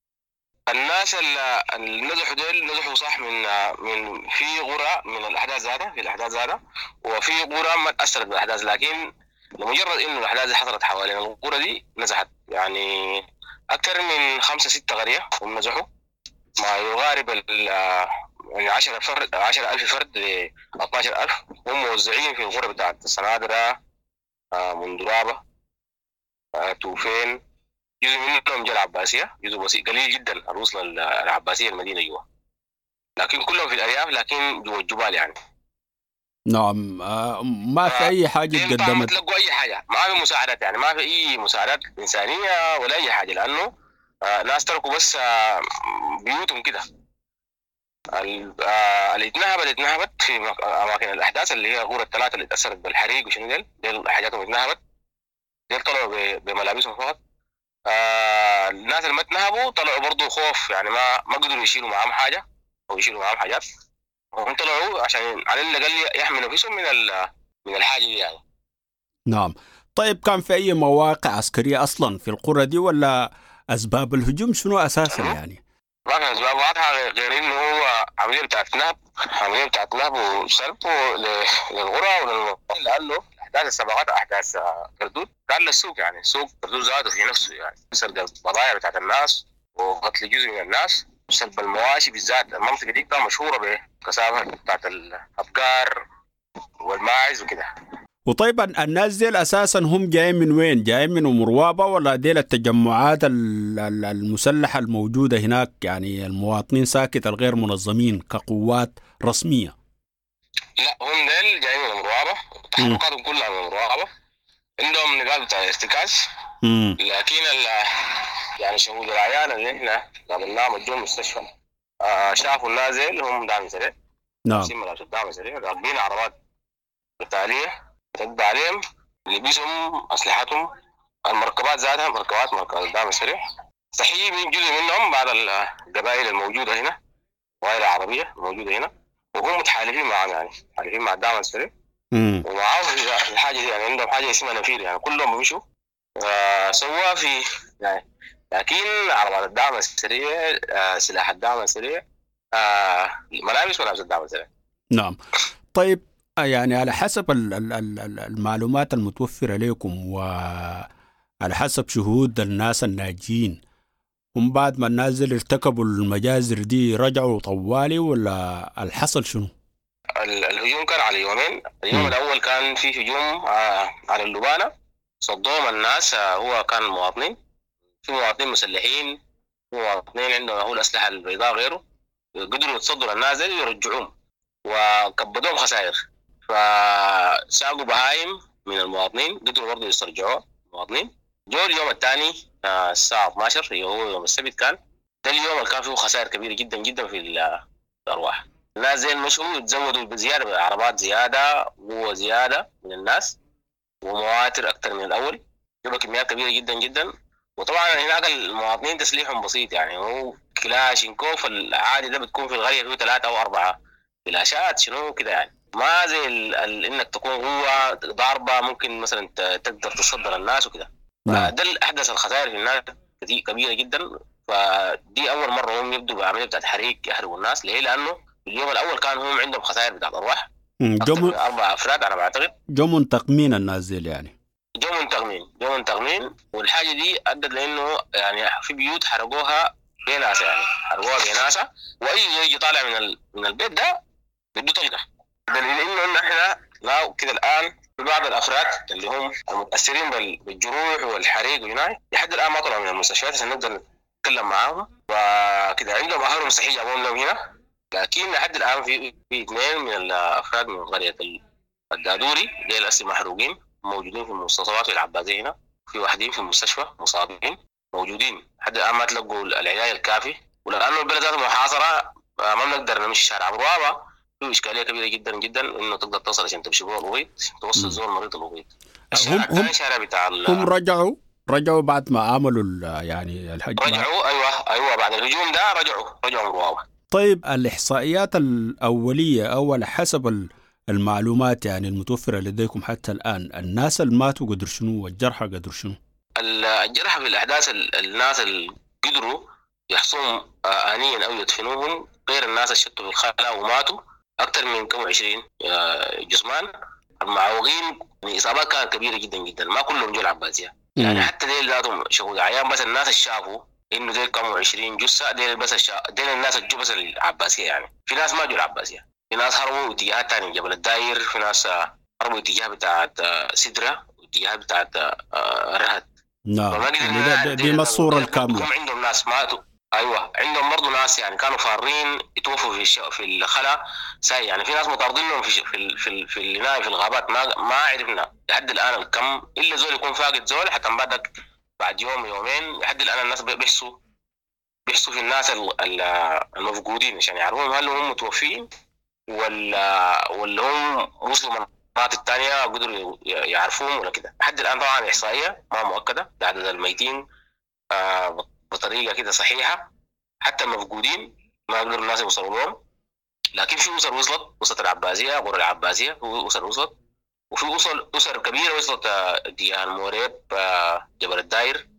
الناس اللي نزحوا ديل نزحوا صح من من في قرى من الاحداث ذاتها، في الاحداث ذاتها، وفي قرى ما تاثرت بالاحداث، لكن لمجرد انه الاحداث حصلت حوالين القرى دي نزحت، يعني اكثر من خمسة ستة قرية هم نزحوا، ما يقارب ال يعني عشرة فرد، عشرة ألف فرد ل اثناشر ألف، هم موزعين في القرى بتاعت السنادرة، مندرابة، توفين، جزء منهم جاء العباسية، جزء بسيط قليل جدا الوصل العباسية المدينة جوا، لكن كلهم في الأرياف، لكن جوا الجبال يعني. نعم. ما في أي حاجة تقدمت، ما تلقوا أي حاجة، ما في مساعدات، يعني ما في أي مساعدات إنسانية ولا أي حاجة، لأنه ناس تركوا بس بيوتهم كده. اللي اتنهبت اتنهبت في أماكن الأحداث اللي هي غورة الثلاثة اللي تأثرت بالحريق وشنو ديل ديل حاجاتهم اتنهبت، ديل طلعوا بملابسهم فقط. آه الناس اللي ما اتنهبوا طلعوا برضو خوف، يعني ما ما قدروا يشيلوا معاهم حاجة أو يشيلوا معاهم حاجات، هم طلعوا عشان على الأقل يحملوا نفسهم من من الحاجة دي يعني. نعم. طيب كان في أي مواقع عسكرية أصلا في القرى دي ولا أسباب الهجوم شنو أساسا يعني؟ ما في أسباب واضحة غير إنه هو عملية بتاعت نهب، عملية بتاعت نهب وسلب للقرى وللمواقع، لأنه أحداث السباقات أحداث كردود كان للسوق، يعني سوق كردود ذاته في نفسه، يعني سرقة البضائع بتاعت الناس وقتل جزء من الناس وسلب المواشي بالذات. المنطقة دي كانت مشهورة بكثافة بتاعت الأبقار والماعز وكده. وطيب الناس ديل اساسا هم جايين من وين؟ جايين من ام روابه ولا ديل التجمعات المسلحه الموجوده هناك، يعني المواطنين ساكت الغير منظمين كقوات رسميه؟ لا هم ديل جايين من ام روابه، تحركاتهم كلها من ام روابه، عندهم نقاط بتاع ارتكاز. لكن يعني شهود العيان اللي احنا قابلناهم جو المستشفى آه شافوا الناس ديل هم دعم سريع. نعم. دعم سريع راكبين عربات قتاليه تتبع عليهم، لبسهم اسلحتهم، المركبات ذاتها مركبات مركبات الدعم السريع. صحيح من جزء منهم بعض القبائل الموجوده هنا، قبائل العربيه الموجوده هنا، وهم متحالفين معهم، يعني متحالفين مع الدعم السريع ومعاهم في الحاجه دي، يعني عندهم حاجه اسمها نفير، يعني كلهم بيمشوا آه سوا في يعني. لكن عربات الدعم السريع، آه سلاح الدعم السريع، آه ملابس ملابس الدعم السريع. نعم. طيب يعني على حسب المعلومات المتوفرة لكم وعلى حسب شهود الناس الناجين، هم بعد ما الناس اللي ارتكبوا المجازر دي رجعوا طوالي ولا الحصل شنو؟ الهجوم كان على يومين. اليوم م. الأول كان في هجوم على اللبانة، صدوهم الناس، هو كان مواطنين، في مواطنين مسلحين، في مواطنين عندهم هو الأسلحة البيضاء غيره، قدروا يتصدوا للناس ويرجعوهم وكبدوهم خسائر. فساقوا بهايم من المواطنين، قدروا برضه يسترجعوها المواطنين. جو اليوم الثاني الساعة اثناشر اللي هو يوم السبت، كان ده اليوم اللي كان فيه خسائر كبيرة جدا جدا في الأرواح. الناس زي المشوا يتزودوا بزيادة، عربات زيادة، قوة زيادة من الناس، ومواتر أكثر من الأول، جابوا كميات كبيرة جدا جدا. وطبعا هناك المواطنين تسليحهم بسيط، يعني هو كلاشينكوف العادي ده بتكون في القرية فيه ثلاثة أو أربعة فلاشات شنو كده، يعني ما زي ال ال انك تكون قوة ضاربة ممكن مثلا تقدر تصدر الناس وكده. فده اللي احدث الخسائر في الناس كبيرة جدا. فدي اول مرة هم يبدوا بعملية بتاعت حريق يحرقوا الناس. ليه؟ لانه اليوم الاول كان هم عندهم خسائر بتاعت ارواح جو اربع افراد انا بعتقد. جو منتقمين الناس دي يعني، جو منتقمين جو منتقمين. والحاجة دي ادت لانه يعني في بيوت حرقوها بناسة، يعني حرقوها بناسة، واي يجي طالع من ال... من البيت ده بده طلقه. دليل انه احنا لا كده الان في بعض الافراد اللي هم المتاثرين بالجروح والحريق وهناك لحد الان ما طلعوا من المستشفيات عشان نقدر نتكلم معاهم وكده. عندهم اهلهم صحيح جابوهم لهم هنا، لكن لحد الان في في اثنين من الافراد من قريه الدادوري ديل هسه محروقين موجودين في المستوصفات في العباسيه هنا، في واحدين في المستشفى مصابين موجودين لحد الان ما تلقوا العنايه الكافي. ولانه البلد ذاته محاصره ما بنقدر نمشي شارع ابو في اشكاليه كبيره جدا جدا انه تقدر توصل عشان تمشي جوه الغويط، توصل زول مريض الغويط. هم هم بتاع هم رجعوا رجعوا بعد ما عملوا يعني الحج، رجعوا ايوه ايوه بعد الهجوم ده رجعوا رجعوا الروابه. طيب الاحصائيات الاوليه او على حسب المعلومات يعني المتوفره لديكم حتى الان، الناس اللي ماتوا قدر شنو والجرحى قدر شنو؟ الجرحى في الاحداث الناس اللي قدروا يحصوهم انيا او يدفنوهم غير الناس اللي شتوا في الخلاء وماتوا اكثر من كم عشرين جثمان. المعوقين الاصابات كانت كبيره جدا جدا، ما كلهم جو العباسيه يعني، حتى ديل ذاتهم شهود عيان، بس الناس اللي شافوا انه ديل كانوا عشرين جثه ديل بس الشا... ديل الناس اللي جو بس العباسيه يعني. في ناس ما جو العباسيه، في ناس هربوا اتجاهات ثانيه جبل الداير، في ناس هربوا اتجاه بتاعت سدره، واتجاه بتاعت رهد. نعم يعني دي ما الصوره الكامله. عندهم ناس ماتوا، ايوه عندهم برضه ناس يعني كانوا فارين يتوفوا في الش... في الخلا ساي، يعني في ناس مطاردينهم في في في في في, في الغابات، ما ما عرفنا لحد الان الكم، الا زول يكون فاقد زول حتى بعدك بعد يوم يومين. لحد الان الناس بيحسوا بيحسوا في الناس المفقودين عشان يعرفوهم هل هم متوفين ولا ولا هم وصلوا مناطق الثانيه قدروا يعرفوهم ولا كده. لحد الان طبعا احصائيه ما مؤكده لعدد الميتين آه بطريقه كده صحيحه، حتى المفقودين ما قدروا الناس يوصلوا لهم، لكن في اسر وصلت، وصلت العباسيه، قرى العباسيه في اسر وصلت، وفي اسر اسر كبيره وصلت اتجاه الموريب، جبل الداير،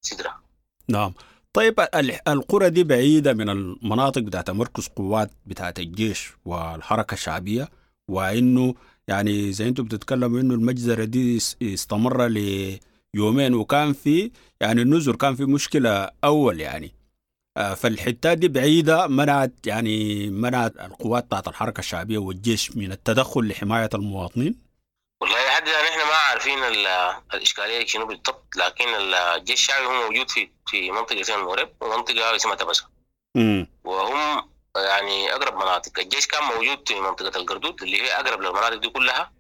سدره. نعم. طيب القرى دي بعيده من المناطق بتاعت مركز قوات بتاعت الجيش والحركه الشعبيه، وانه يعني زي انتم بتتكلموا انه المجزره دي استمر ل يومين وكان في يعني النزر كان في مشكلة أول يعني، فالحتات دي بعيدة منعت يعني منعت القوات بتاعت الحركة الشعبية والجيش من التدخل لحماية المواطنين. والله لحد الان احنا ما عارفين الاشكالية شنو بالضبط، لكن الجيش الشعبي هو موجود في في منطقة اسمها المورب ومنطقة اسمها تبسه، وهم يعني اقرب مناطق. الجيش كان موجود في منطقة القردود اللي هي اقرب للمناطق دي كلها،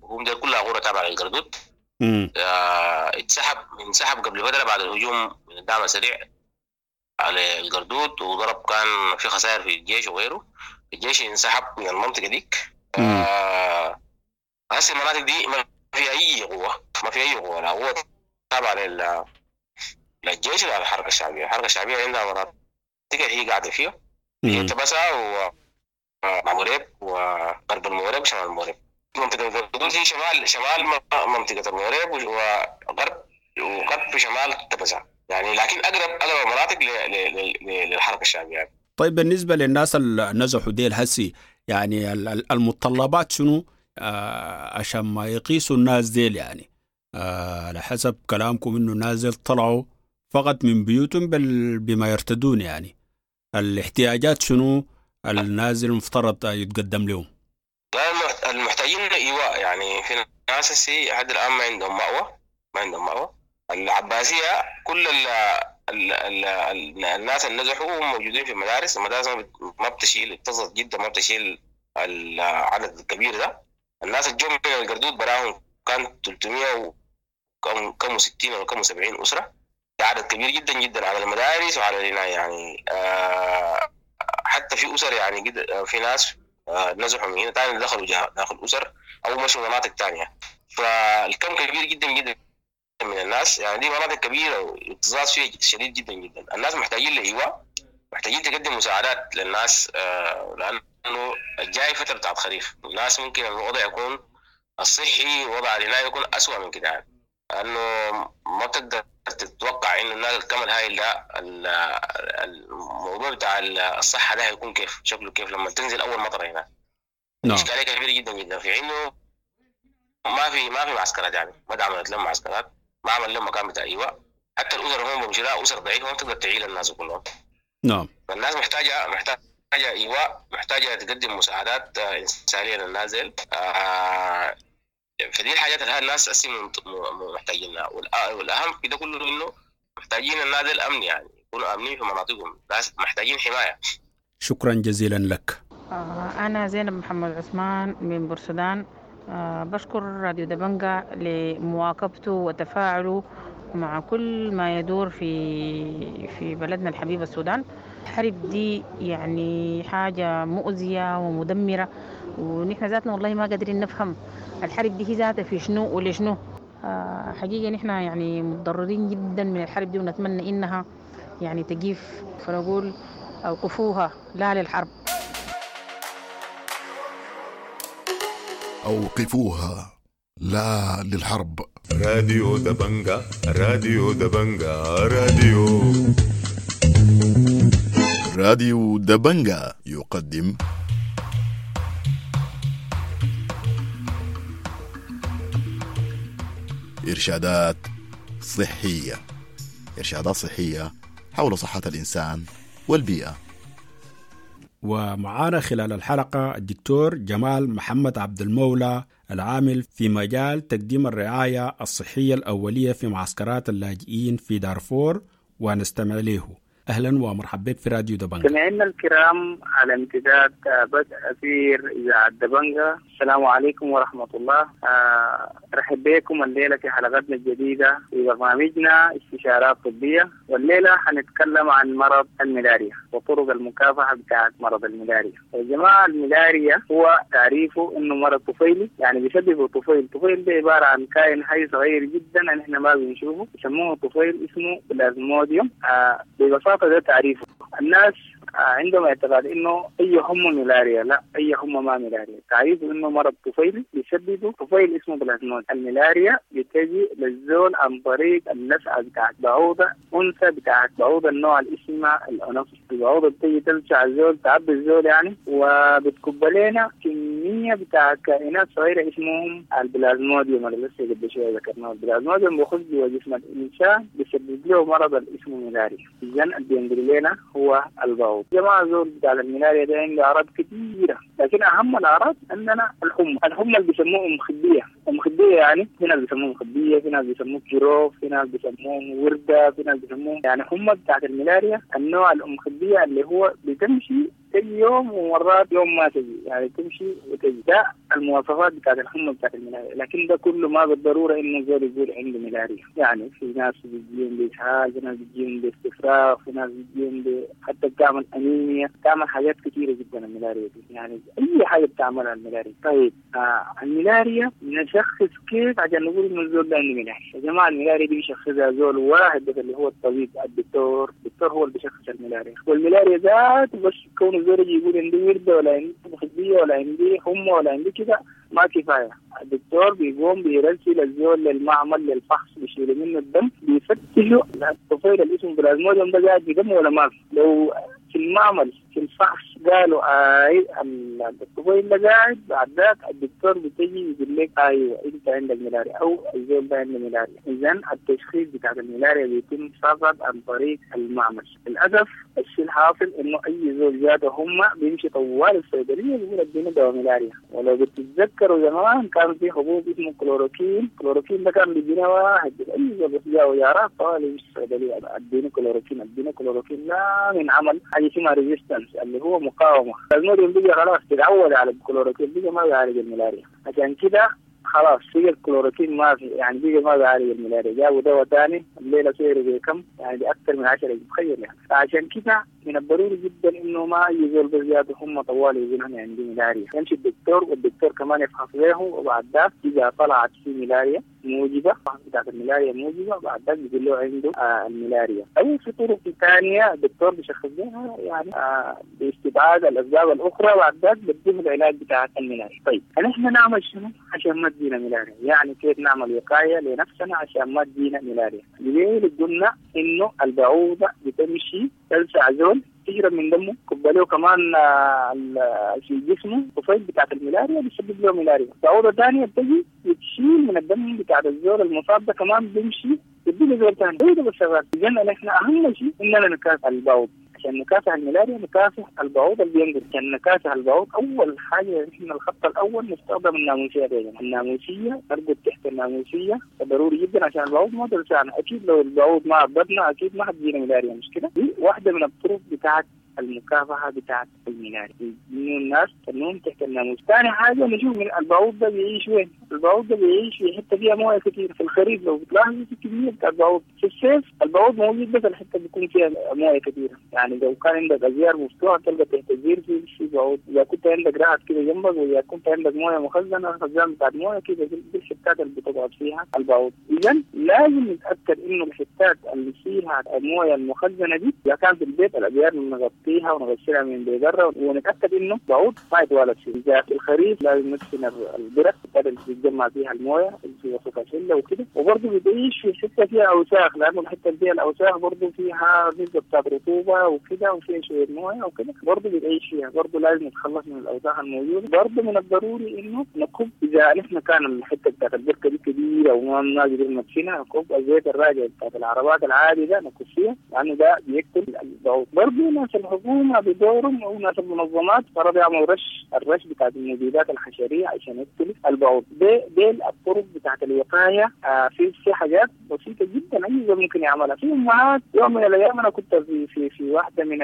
وهم دي كلها غرة تابعه للقردود. آه اتسحب انسحب قبل فترة بعد الهجوم من الدعم السريع على القردود، وضرب كان في خسائر في الجيش وغيره. الجيش انسحب من المنطقة ديك. آه هسه المناطق دي ما في اي قوة، ما في اي قوة، لا قوة تابعه لل للجيش ولا الحركة الشعبية. الحركة الشعبية عندها مناطق هي قاعدة فيها، هي تبسا وموريب وغرب الموريب وشمال الموريب. منطقة القردود هي شمال شمال منطقة الموريب وغرب وغرب شمال تبسا يعني، لكن اقرب اقرب المناطق للحركة الشعبية يعني. طيب بالنسبة للناس اللي نزحوا ديل هسي، يعني المتطلبات شنو آه عشان ما يقيسوا الناس ديل؟ يعني آه على حسب كلامكم انه الناس ديل طلعوا فقط من بيوتهم بل بما يرتدون، يعني الاحتياجات شنو النازل المفترض يتقدم لهم؟ لا، المحتاجين ايواء، يعني في ناس هسي لحد الان ما عندهم مأوى، ما عندهم مأوى. العباسية كل ال ال ال ال الناس اللي نزحوا موجودين في المدارس، المدارس ما بتشيل، اكتظت جدا، ما بتشيل العدد الكبير ده. الناس الجم من القردود براهم كان ثلاثمية وكم كم وستين ولا كم وسبعين أسرة، عدد كبير جدا جدا على المدارس وعلى العناية يعني. آه حتى في أسر يعني جد في ناس آه نزحوا من هنا تاني دخلوا داخل أسر أو مشوا مناطق تانية، فالكم كبير جدا جدا من الناس يعني. دي مناطق كبيرة واكتظاظ فيها شديد جدا جدا. الناس محتاجين لإيواء، محتاجين تقدم مساعدات للناس، آه لأنه الجاي فترة بتاعت خريف، الناس ممكن الوضع يكون الصحي ووضع العناية يكون أسوأ من كده يعني، لأنه ما بتقدر تتوقع إنه الناس الكم الهائل ده الموضوع بتاع الصحة ده هيكون كيف شكله كيف لما تنزل أول مطرة هنا. نعم. إشكالية كبيرة جدا جدا في إنه ما في ما في معسكرات يعني، ما دعمت لهم معسكرات، ما عمل لهم مكان بتاع إيواء. حتى الأسر هم بمشي أسر ضعيفة ما تقدر تعيل الناس كلهم. نعم. فالناس محتاجة محتاجة إيواء، محتاجة تقدم مساعدات إنسانية للنازل. آه فدي الحاجات اللي الناس أسي محتاجينها. والأهم في ده كله إنه محتاجين النازل الأمن، يعني يكونوا آمنين في مناطقهم، الناس محتاجين حماية. شكرا جزيلا لك. أنا زينب محمد عثمان من بورسودان. أه بشكر راديو دبنجا لمواكبته وتفاعله مع كل ما يدور في في بلدنا الحبيب السودان. الحرب دي يعني حاجة مؤذية ومدمرة، ونحن ذاتنا والله ما قادرين نفهم الحرب دي هي ذاتها في شنو ولشنو. أه حقيقة نحن يعني متضررين جدا من الحرب دي، ونتمنى إنها يعني تقيف، فنقول أوقفوها لا للحرب. أوقفوها لا للحرب. راديو دبنجا، راديو دبنجا، راديو راديو دبنجا يقدم إرشادات صحية، إرشادات صحية حول صحة الإنسان والبيئة. ومعانا خلال الحلقة الدكتور جمال محمد عبد المولى العامل في مجال تقديم الرعاية الصحية الأولية في معسكرات اللاجئين في دارفور، ونستمع له. أهلا ومرحبا بك في راديو دبنجا. سمعنا الكرام على امتداد بدء أثير إذاعة دبنجا، السلام عليكم ورحمة الله. أرحب بكم الليلة في حلقتنا الجديدة في برنامجنا استشارات طبية، والليلة حنتكلم عن مرض الملاريا وطرق المكافحة بتاعة مرض الملاريا. يا جماعة الملاريا هو تعريفه إنه مرض طفيلي، يعني بيسببه طفيل. طفيل ده عبارة عن كائن حي صغير جدا نحن ما بنشوفه، يسموه طفيل، اسمه بلازموديوم. ببساطة ده تعريفه. الناس عندهم اعتقاد انه اي حمى ملاريا، لا، اي حمى ما ملاريا. تعريفه انه مرض طفيلي بيسببه طفيل اسمه بلازمود. الملاريا بتجي للزول عن طريق اللسعه بتاعت بعوضة انثى بتاعت بعوضة النوع اللي اسمها الانوفيس. البعوضة بتيجي تلسع الزول، تعبي الزول يعني، وبتكب لنا كمية بتاعت كائنات صغيرة اسمهم البلازموديوم اللي لسه قبل شوية ذكرناه. البلازموديوم بيخش جوا جسم الانسان بيسبب له مرض اللي اسمه ملاريا. اذا اللي بينقل لنا هو البعوض. جماعة زول بتاع الملاريا ده عنده أعراض كثيرة، لكن أهم الأعراض عندنا الحمى، الحمى اللي بيسموه أم خدية. مخبية يعني في ناس بيسموه مخبية، في ناس بيسموه كيروف، في ناس بيسموه وردة، في ناس بيسموه يعني هم بتاعت الملاريا النوع الأم خبية اللي هو بتمشي تجي يوم ومرات يوم ما تجي، يعني تمشي وتجي. ده المواصفات بتاعت الحمى بتاعت الملاريا، لكن ده كله ما بالضرورة انه زول يقول عنده ملاريا. يعني في ناس بتجيهم باسهال، في ناس بتجيهم باستفراغ، في ناس بتجيهم ب... حتى بتعمل انيميا، بتعمل حاجات كثيرة جدا الملاريا دي، يعني اي حاجة بتعملها الملاريا. طيب آه الملاريا نشخص كيف عشان نقول انه الزول ده عنده ملاريا؟ يا جماعة الملاريا دي بيشخصها زول واحد بس اللي هو الطبيب الدكتور، الدكتور هو اللي بيشخص الملاريا، والملاريا ذاته بس كون الزول يجي يقول عندي ورده ولا عندي مخبيه ولا عندي حمى ولا عندي كده ما كفاية. الدكتور بيقوم بيرسل الزول للمعمل للفحص، بيشيلوا منه الدم، بيفتشوا الطفيل اللي اسمه بلازموديوم ده قاعد في دمه ولا ما في. لو في المعمل في الفحص قالوا اي الطفيل ده قاعد، بعد ذاك الدكتور بتجي يقول لك ايوه انت عندك ملاريا او الزول ده عنده ملاريا. اذا التشخيص بتاع الملاريا بيتم فقط عن طريق المعمل. للاسف الشيء الحاصل انه اي زول جاته هم بيمشي طوال الصيدلية بيقول اديني دواء ملاريا. ولو بتتذكروا زمان كان في حبوب اسمه كلوروكين، كلوروكين ده كان بيدينا واحد اي زول بس جاء ويارات طوال يمشي الصيدلية اديني كلوروكين اديني كلوروكين، لا من عمل حاجة اسمها resistance اللي هو مقاومة. الموديوم بيجي خلاص تتعود على الكلوروكين، بيجي ما بيعالج الملاريا، عشان كده خلاص بقى الكلوروكين ما في، يعني بقى ما بيعالج الملاريا، جابوا دواء ثاني الليلة سعره بكم؟ يعني باكثر من عشرة، تخيل يعني. فعشان كده من الضروري جدا انه ما اي زول بزيادة هم طوال يقول انا عندي ملاريا، يمشي الدكتور والدكتور كمان يفحص له، وبعد ذاك اذا طلعت في ملاريا موجبه بتاعت الملاريا موجبه بعد ذاك بيقول له عنده آه الملاريا. او في طرق ثانية الدكتور بيشخص لها يعني آه باستبعاد الاسباب الاخرى، بعد ذاك بيديه العلاج بتاع الملاريا. طيب نحن نعمل شنو عشان ما تجينا ملاريا؟ يعني كيف نعمل وقاية لنفسنا عشان ما تجينا ملاريا؟ ليه قلنا انه البعوضة بتمشي تلسع زول تشرب من دمه، كباليه كمان في جسمه طفيل بتاعت الملاريا بيسبب له ملاريا. بعوضة ثانية بتجي بتشيل من الدم بتاعت الزول المصاب ده كمان بيمشي بيدي زول ثاني، هو ده الشغال. اذا نحن اهم شيء اننا نكافح البعوض. عشان نكافح الملاريا نكافح البعوض اللي بينقل. عشان نكافح البعوض اول حاجة نحن الخط الاول نستخدم الناموسيه. دايما الناموسيه نرقد تحت الناموسيه، ضروري جدا عشان البعوض ما تلسعنا. اكيد لو البعوض ما عبدنا اكيد ما حتجينا ملاريا، مش كده؟ دي واحدة من الطرق بتاعت المكافحه بتاعت الملاريا، انه الناس تنوم تحت الناموس. ثاني حاجة نشوف من البعوض ده بيعيش وين؟ البعوض ده بيعيش في حتة فيها مويه كثير. في الخريف لو بتلاحظوا في كمية بتاع البعوض، في الصيف البعوض موجود بس الحتة بيكون فيها مويه كثيرة. يعني لو كان عندك ازيار مفتوحة تلقى تحت الزير في في بعوض، اذا كنت عندك رعد كده جنبك، واذا كنت عندك مويه مخزنة خزان بتاعت مويه كده دي الحتات اللي بتقعد فيها البعوض. اذا لازم نتاكد انه الحتات اللي فيها المويه المخزنه دي اذا كان في البيت الازيار نغطيها ونغسلها من بره، ونتاكد انه بعوض ما يتوالد فيه. اذا في الخريف لازم ندفن البرك اللي بيتجمع فيها المويه اللي في وسط الحلة وكده. وبرضه بتعيش في حتة فيها اوساخ، لانه الحتة اللي فيها الاوساخ برضه فيها نسبه بتاعت رطوبة وكده وفيها شوية مويه وكده، برضه بتعيش فيها، برضه لازم نتخلص من الاوساخ الموجودة. برضه من الضروري انه نكب اذا نحن كان الحتة بتاعت البركة دي كبيرة وما قدرنا ندفنها، نكب الزيت الراجع بتاعت العربات العادي ده نكب فيها، لانه ده بيقتل البعوض. برضه ناس الحكومة بدورهم او ناس المنظمات فرض يعملوا رش، الرش بتاعت المبيدات الحشريه عشان يقتل البعوض. دي دي الطرق بتاعت الوقاية. آه في في حاجات بسيطة جدا اي زول ممكن يعملها. في امهات يوم من الايام انا كنت في في في واحدة من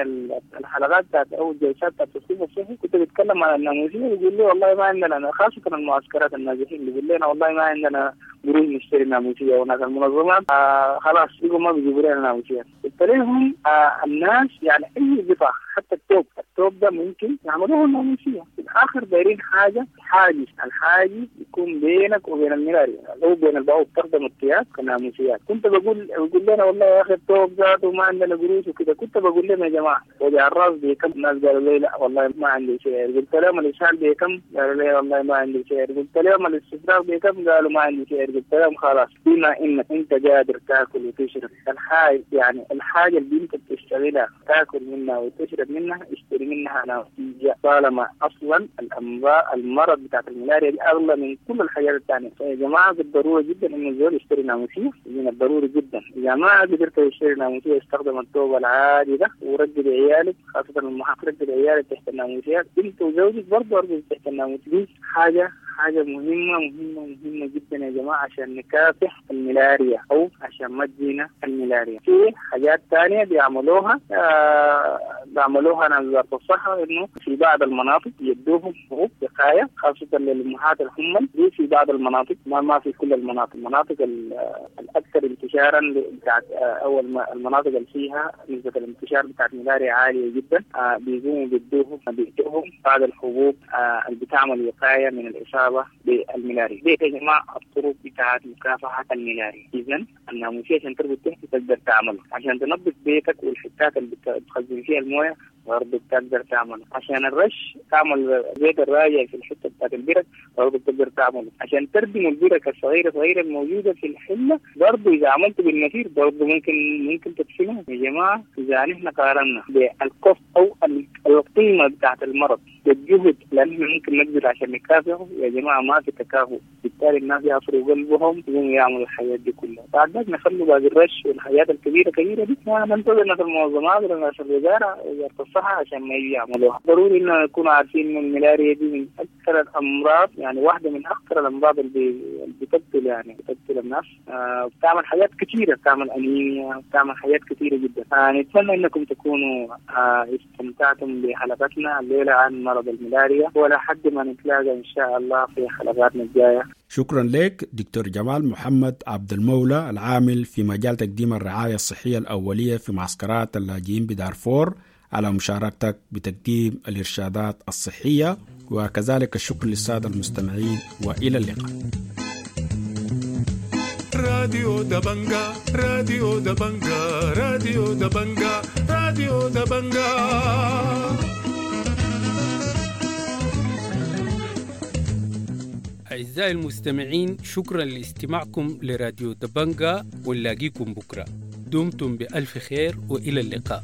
الحلقات بتاعت او الجلسات بتاعت التثقيف الصحي كنت بتكلم عن الناموسيه، بيقول لي والله ما عندنا، خاصة المعسكرات النازحين بيقول لنا والله ما عندنا قروش نشتري ناموسيه، وناس المنظمات آه خلاص بيقوا ما بيجيبوا لنا ناموسيه. قلت لهم آه الناس يعني اي قطع حتى التوب، التوب ده ممكن يعملوه الناموسيه. في الاخر دايرين حاجة حاجز، الحاجز يكون بينك وبين الملاريا او بين البعوض، تخدم الثياب كناموسيات. كنت بقول بقول لنا والله يا اخي التوب ذاته ما عندنا قروش وكده. كنت بقول لهم يا جماعة وجع الراس بكم؟ الناس قالوا لي لا والله ما عندي سعر. قلت لهم الاسهال بكم؟ قالوا لي والله ما عندي سعر. قلت لهم الاستفراغ بكم؟ قالوا ما عندي سعر. قلت لهم خلاص بما انك انت قادر تاكل وتشرب الحاجة، يعني الحاجة اللي انت بتشتغلها تاكل منها وتشرب منها اشتري منها ناموسيه، طالما اصلا الامراض المرض بتاعت الملاريا دي اغلى من كل الحاجات الثانية. فيا جماعة بالضرورة جدا انه الزول يشتري ناموسيه، من الضروري جدا. اذا ما قدرت تشتري ناموسيه استخدم الثوب العادي ده ورجل عيالك، خاصة المحافظ رجل عيالك تحت الناموسيات، انت وزوجك برضه ارجل تحت الناموسيه. دي حاجة حاجة مهمة مهمة مهمة جدا يا جماعة عشان نكافح الملاريا أو عشان ما تجينا الملاريا. في حاجات تانية بيعملوها آه بيعملوها ناس وزارة الصحة، إنه في بعض المناطق يدوهم حبوب وقاية خاصة للأمهات الحمل دي في بعض المناطق، ما ما في كل المناطق، المناطق الأكثر انتشارا بتاعت أو المناطق اللي فيها نسبة الانتشار بتاعت الملاريا عالية جدا آه بيقوموا بيدوهم بيدوهم بعض الحبوب آه اللي بتعمل وقاية من الإصابة بالملاريا. دي يا جماعة الطرق بتاعت مكافحة الملاريا. إذا الناموسية عشان تربط تحت تقدر تعمله، عشان تنظف بيتك والحتات اللي بتخزن فيها الموية برضه بتقدر تعمله، عشان الرش تعمل زيت الراجع في الحتة بتاعت البرك برضه بتقدر تعمله، عشان تردم البرك الصغيرة صغيرة الموجودة في الحلة برضه إذا عملته بالنفير برضه ممكن ممكن تدفنه. يا جماعة إذا نحن قارنا بالكوست أو القيمة بتاعت المرض والجهد لأنه ممكن نبذل عشان نكافحه يا جماعة ما في تكافؤ، بالتالي الناس يعصروا قلبهم يقوموا يعملوا الحاجات دي كلها. بعد ذلك نخلوا باقي الرش والحاجات الكبيرة كبيرة دي ننتظر ناس المنظمات ولا ناس الوزارة وزارة الصحة عشان ما يجي يعملوها. ضروري إنه نكون عارفين إنه الملاريا دي من أكثر الأمراض، يعني واحدة من أخطر الأمراض اللي بتقتل يعني بتقتل الناس، آه بتعمل حاجات كثيرة، بتعمل أنيميا، بتعمل حاجات كثيرة جدا. آه نتمنى إنكم تكونوا آه استمتعتم بحلقتنا الليلة عن مرض الملاريا، ولا حد ما نتلاقى إن شاء الله في حلقاتنا الجاية. شكرا لك دكتور جمال محمد عبد المولى العامل في مجال تقديم الرعاية الصحية الأولية في معسكرات اللاجئين بدارفور على مشاركتك بتقديم الإرشادات الصحية، وكذلك الشكر للسادة المستمعين، وإلى اللقاء. راديو دبنجا، راديو دبنجا، راديو دبنجا، راديو دبنجا. أعزائي المستمعين، شكرا لاستماعكم لراديو دبنجا، ونلاقيكم بكرة. دمتم بألف خير وإلى اللقاء.